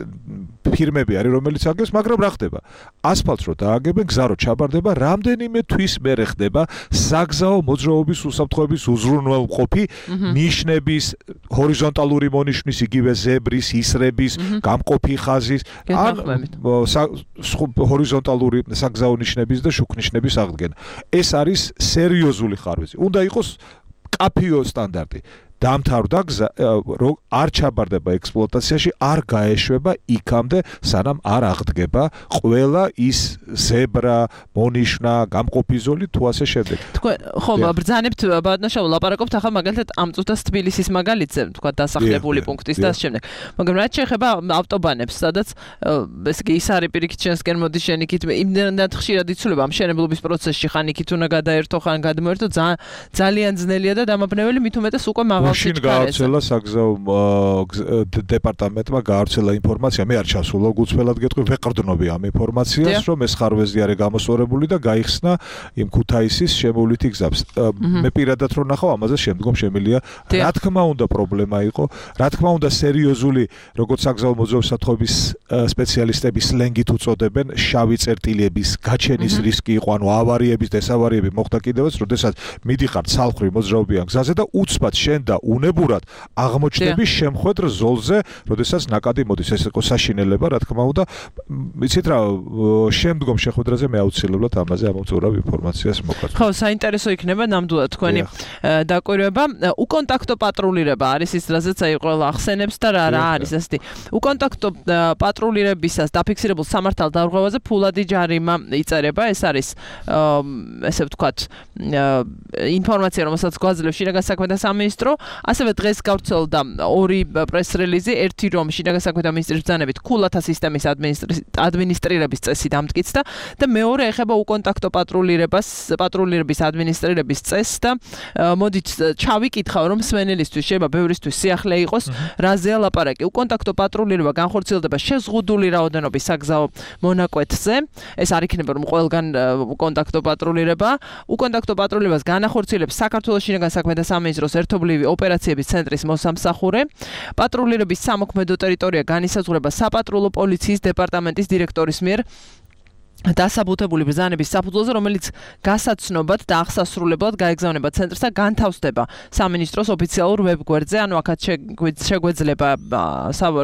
ფირმები არის რომელიც აგებს მაგრამ რა ხდება ასფალტს რო დააგებენ გზა რო ჩაბარდება რამდენიმე თვის მერე ხდება საგზაო მოძრაობის უსაფრთხოების უზრუნველყოფი ნიშნების ჰორიზონტალური მონიშნის იგივე ზებრის ისრების გამყოფი ხაზის ან ჰორიზონტალური საგზაო ნიშნების და შუქნიშნების აღდგენა ეს არის სერიოზული ხარვეზი უნდა იყოს კაფიო სტანდარტი დამთავრდა გზა რომ არ ჩაბარდება ექსპლუატაციაში არ გაეშვება იქამდე სანამ არ აღდგება ყველა ის ზებრა მონიშნა გამყოფი ზოლი თუ ასე შემდეგ თქვენ ხო ბრძანებთ ბატონშაო ლაპარაკობთ ახლა მაგალითად ამ წუთას თბილისის მაგალითზე თქვა დასახლებული პუნქტის და შემდეგ მაგრამ რაც შეეხება ავტობანებს სადაც ეს კი ის არის პირიქით შენსკენ მოდი შენიქით იმდენად ხშირად იცვლება ამ შენებლობის პროცესში ხან იქით უნდა გადაერთო ხან გადმოერთო ძალიან ძნელია და დამაბნეველი მით უმეტეს უკვე მაღალ შინ გაავრცელა საგზაო დეპარტამენტმა გაავრცელა ინფორმაცია მე არ ჩასულა გუცფელად გეტყვი ვეყრდნობი ამ ინფორმაციას რომ ეს ხარვეზი არის გამოსწორებული და გაიხსნა იმ ქუთაისის შემოვლითი გზას მე პირადად რო ნახავ ამაზე შემდგომ შემილია რა თქმა უნდა პრობლემა იყო რა თქმა უნდა სერიოზული როგორც საგზაო მოძრაობის საფრთხეების სპეციალისტები სლენგით უწოდებენ შავი წერტილების გაჩენის რისკი იყო ანუ ავარიების და ესავარიები მოხდა კიდევაც როდესაც მიდიხარ ცალხრივ მოძრაობიან გზაზე და უცბად შენ და და უნებურად აღმოჩნდები შემხვედრ ზოლზე, როდესაც ნაკადი მოდის, ეს იყო საშინელება, რა თქმა უნდა. იცით რა, შემდგომ შეხვედრაზე მე აუცილებლად ამაზე ამოვწურავ ინფორმაციას მოგაწვევ. ხო, საინტერესო იქნება ნამდვილად თქვენი დაკვირვება. უკონტაქტო პატრულირება არის ის, რაზეც აი ყველა ახსენებს და რა რა არის ასეთი. უკონტაქტო პატრულირებისას დაფიქსირებულ სამართალ დარღვევაზე ფულადი ჯარიმა იწერება. ეს არის ესე ვთქვათ ინფორმაცია, რომელსაც გვაძლევს შინაგან საქმეთა სამინისტრო. ასევე დღეს გავრცელდა ორი პრეს-რელიზი, ერთი რომ შინაგან საქმეთა მინისტრის ბრძანებით ქულათა სისტემის ადმინისტრირების წესი დამტკიცდა და მეორე ეხება უკონტაქტო პატრულირებას, პატრულირების ადმინისტრირების წესს და მოდით ჩავიკითხავ რომ მსმენელისთვის შეიძლება ბევრისთვის სიახლე იყოს, რაზეა ლაპარაკი. უკონტაქტო პატრულირება განხორციელდება შეზღუდული რაოდენობის საგზაო მონაკვეთზე. ეს არ იქნება რომ ყველგან უკონტაქტო პატრულირება. უკონტაქტო პატრულირებას განახორციელებს საქართველოს შინაგან საქმეთა სამინისტროს ერთობლივი ოპერაციების ცენტრის მოსამსახურე. პატრულირების სამოქმედო ტერიტორია განისაზღვრება საპატრულო პოლიციის დეპარტამენტის დირექტორის მიერ დასაბუთებული ბრძანების საფუძველზე, რომელიც გასაცნობად და აღსასრულებლად გაეგზავნება ცენტრს და განთავსდება სამინისტროს ოფიციალურ ვებგვერდზე, ანუ აქაც შეგვეძლება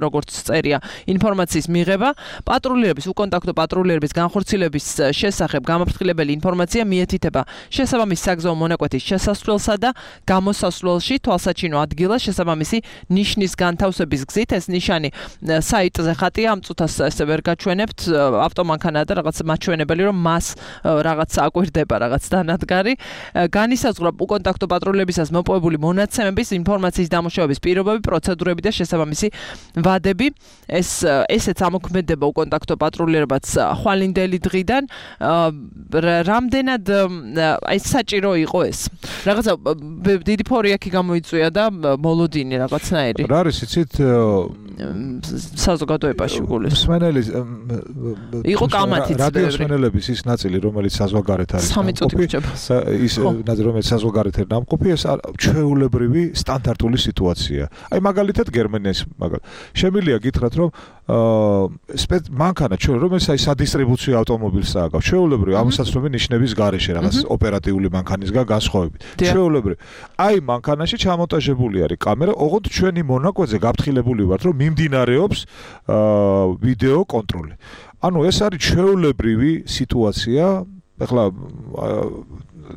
როგორც წერია ინფორმაციის მიღება. პატრულირების უკონტაქტო პატრულირების განხორციელების შესახებ გამაფრთხილებელი ინფორმაცია მიეთითება შესაბამის საგზაო მონაკვეთის შესასვლელსა და გამოსასვლელში თვალსაჩინო ადგილას შესაბამისი ნიშნის განთავსების გზით. ეს ნიშანი საიტზე ხატია, ამ წუთას ესე ვერ გაჩვენებთ, ავტომანქანაა და რაღაც მაჩვენებელი რომ მას რაღაც აკვირდება რაღაც დანადგარი. განისაზღვრა უკონტაქტო პატრულირებისას მოპოვებული მონაცემების ინფორმაციის დამუშავების პირობები, პროცედურები და შესაბამისი ვადები. ეს ესეც ამოქმედება უკონტაქტო პატრულირებაც ხვალინდელი დღიდან. რამდენად აი საჭირო იყო ეს? რაღაცა დიდი ფორი აქ გამოიწვია და მოლოდინი რაღაცნაირი. რა არის იცით საზოგადოებაში გულის. მსმენელის იყო კამათიც რადიოსმენელების ის ნაწილი, რომელიც საზღვარგარეთ არის სამი ის ნაწილი, რომელიც საზღვარგარეთ არის ნამყოფი, ეს ჩვეულებრივი სტანდარტული სიტუაცია. აი მაგალითად გერმანიის მაგალითად. შემიძლია გითხრათ, რომ მანქანა ჩვენ რომელიც აი სადისტრიბუციო ავტომობილს ააგავს, ჩვეულებრივი ამოსაცნობი ნიშნების გარეშე რაღაც ოპერატიული მანქანისგან განსხვავებით. ჩვეულებრივი. აი მანქანაში ჩამონტაჟებული არის კამერა, ოღონდ ჩვენი მონაკვეთზე გაფრთხილებული ვართ, რომ მიმდინარეობს ვიდეო კონტროლი. ანუ ეს არის ჩვეულებრივი სიტუაცია. ეხლა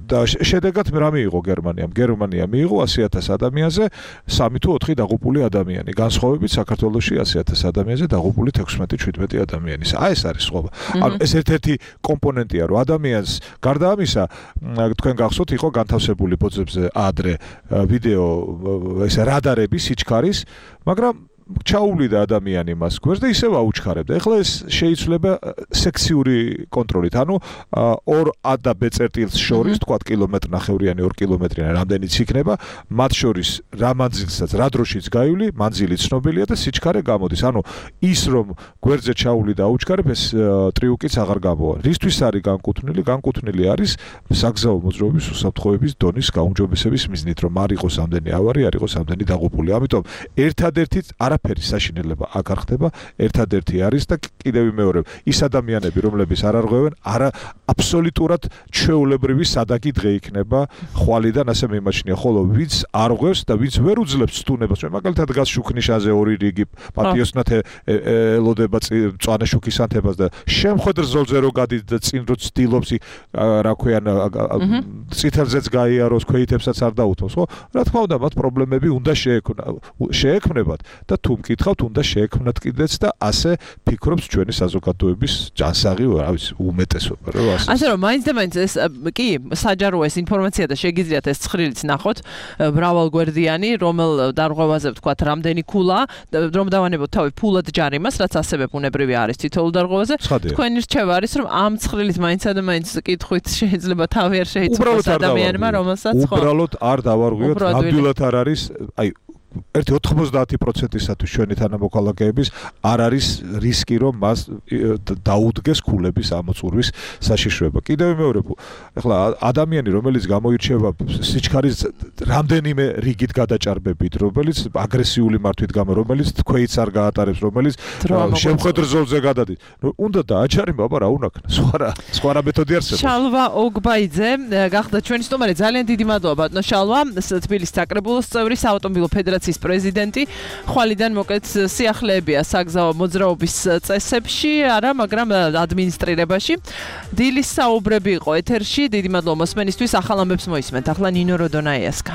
და შედეგად რა მიიღო გერმანიამ? გერმანია მიიღო ასი ათას ადამიანზე სამი თუ ოთხი დაღუპული ადამიანი. განსხვავებით საქართველოში ასი ათას ადამიანზე დაღუპული თექვსმეტი შვიდმეტი ადამიანი. აი ეს არის სხვაობა. ანუ ეს ერთ-ერთი კომპონენტია, რომ ადამიანს გარდა ამისა, თქვენ გახსოვთ, იყო განთავსებული ბოძებზე ადრე ვიდეო ეს რადარები სიჩქარის, მაგრამ ჩაუვლიდა ადამიანი მას გვერდს და ისევ აუჩქარებდა. ეხლა ეს შეიცვლება სექციური კონტროლით. ანუ ორ ა და ბ წერტილს შორის, თქვა კილომეტრ ნახევრიანი, ორ კილომეტრიანი რამდენიც იქნება, მათ შორის რა მანძილსაც, რა დროშიც გაივლი, მანძილი ცნობილია და სიჩქარე გამოდის. ანუ ის რომ გვერდზე ჩაუვლიდა და აუჩქარებ, ეს ტრიუკიც აღარ გამოვა. რისთვის არის განკუთვნილი? განკუთვნილი არის საგზაო მოძრაობის უსაფრთხოების დონის გაუმჯობესების მიზნით, რომ არ იყოს ამდენი ავარი, არ იყოს ამდენი დაღუპული. ამიტომ ერთადერთი არაფერი საშინელება აქ არ ხდება, ერთადერთი არის და კიდევ ვიმეორებ, ის ადამიანები, რომლებიც არ არღვევენ, არა აბსოლუტურად ჩვეულებრივი სადაგი დღე იქნება ხვალიდან ასე მიმაჩნია, ხოლო ვინც არღვევს და ვინც ვერ უძლებს სტუნებას, მაგალითად გას შუქნიშაზე ორი რიგი პატიოსნათ ელოდება მწვანე შუქის ანთებას და შემხედრ ზოლზე რო გადით და წინ რო ცდილობს რა ქვიან წითელზეც გაიაროს, ქვეითებსაც არ დაუთმოს, ხო? რა თქმა უნდა, მათ პრობლემები უნდა შეექმნებათ და თუ მკითხავთ, უნდა შეექმნათ კიდეც და ასე ფიქრობს ჩვენი საზოგადოების ჯანსაღი, რა ვიცი, უმეტესობა, რა ასე. ასე რომ მაინც და მაინც ეს კი საჯაროა ეს ინფორმაცია და შეგიძლიათ ეს ცხრილიც ნახოთ, მრავალგვერდიანი, რომელ დარღვევაზე ვთქვათ, რამდენი ქულა, რომ დავანებოთ თავი ფულად ჯარიმას, რაც ასევე ბუნებრივი არის თითოეულ დარღვევაზე. თქვენი რჩევა არის, რომ ამ ცხრილით მაინც და მაინც კითხვით შეიძლება თავი არ შეიცვალოს ადამიანმა, რომელსაც ხო. უბრალოდ არ დავარღვიოთ, ნამდვილად არ არის, აი ერთი ოცდაათი პროცენტისათვის ჩვენი თანამოქალაქეების არ არის რისკი რომ მას დაუდგეს ქულების ამოწურვის საშიშროება. კიდევ მეორე, ეხლა ადამიანი რომელიც გამოირჩევა სიჩქარის რამდენიმე რიგით გადაჭარბებით, რომელიც აგრესიული მართვით გამო, რომელიც თქვეიც არ გაატარებს, რომელიც შემხედრ ზოლზე გადადის. უნდა დააჩარიმა, აბა რა უნაქნა? სხვა რა, სხვა რა მეთოდი არსებობს. შალვა ოგბაიძე გახდა ჩვენი სტუმარი. ძალიან დიდი მადლობა ბატონო შალვა, თბილისის საკრებულოს წევრი, საავტომობილო ფედერაციის პრეზიდენტი. ხვალიდან მოკეთ სიახლეებია საგზაო მოძრაობის წესებში, არა, მაგრამ ადმინისტრირებაში. დილის საუბრები იყო ეთერში. დიდი მადლობა მოსმენისთვის. ახალ ამბებს მოისმენთ. ახლა ნინო როდონაიას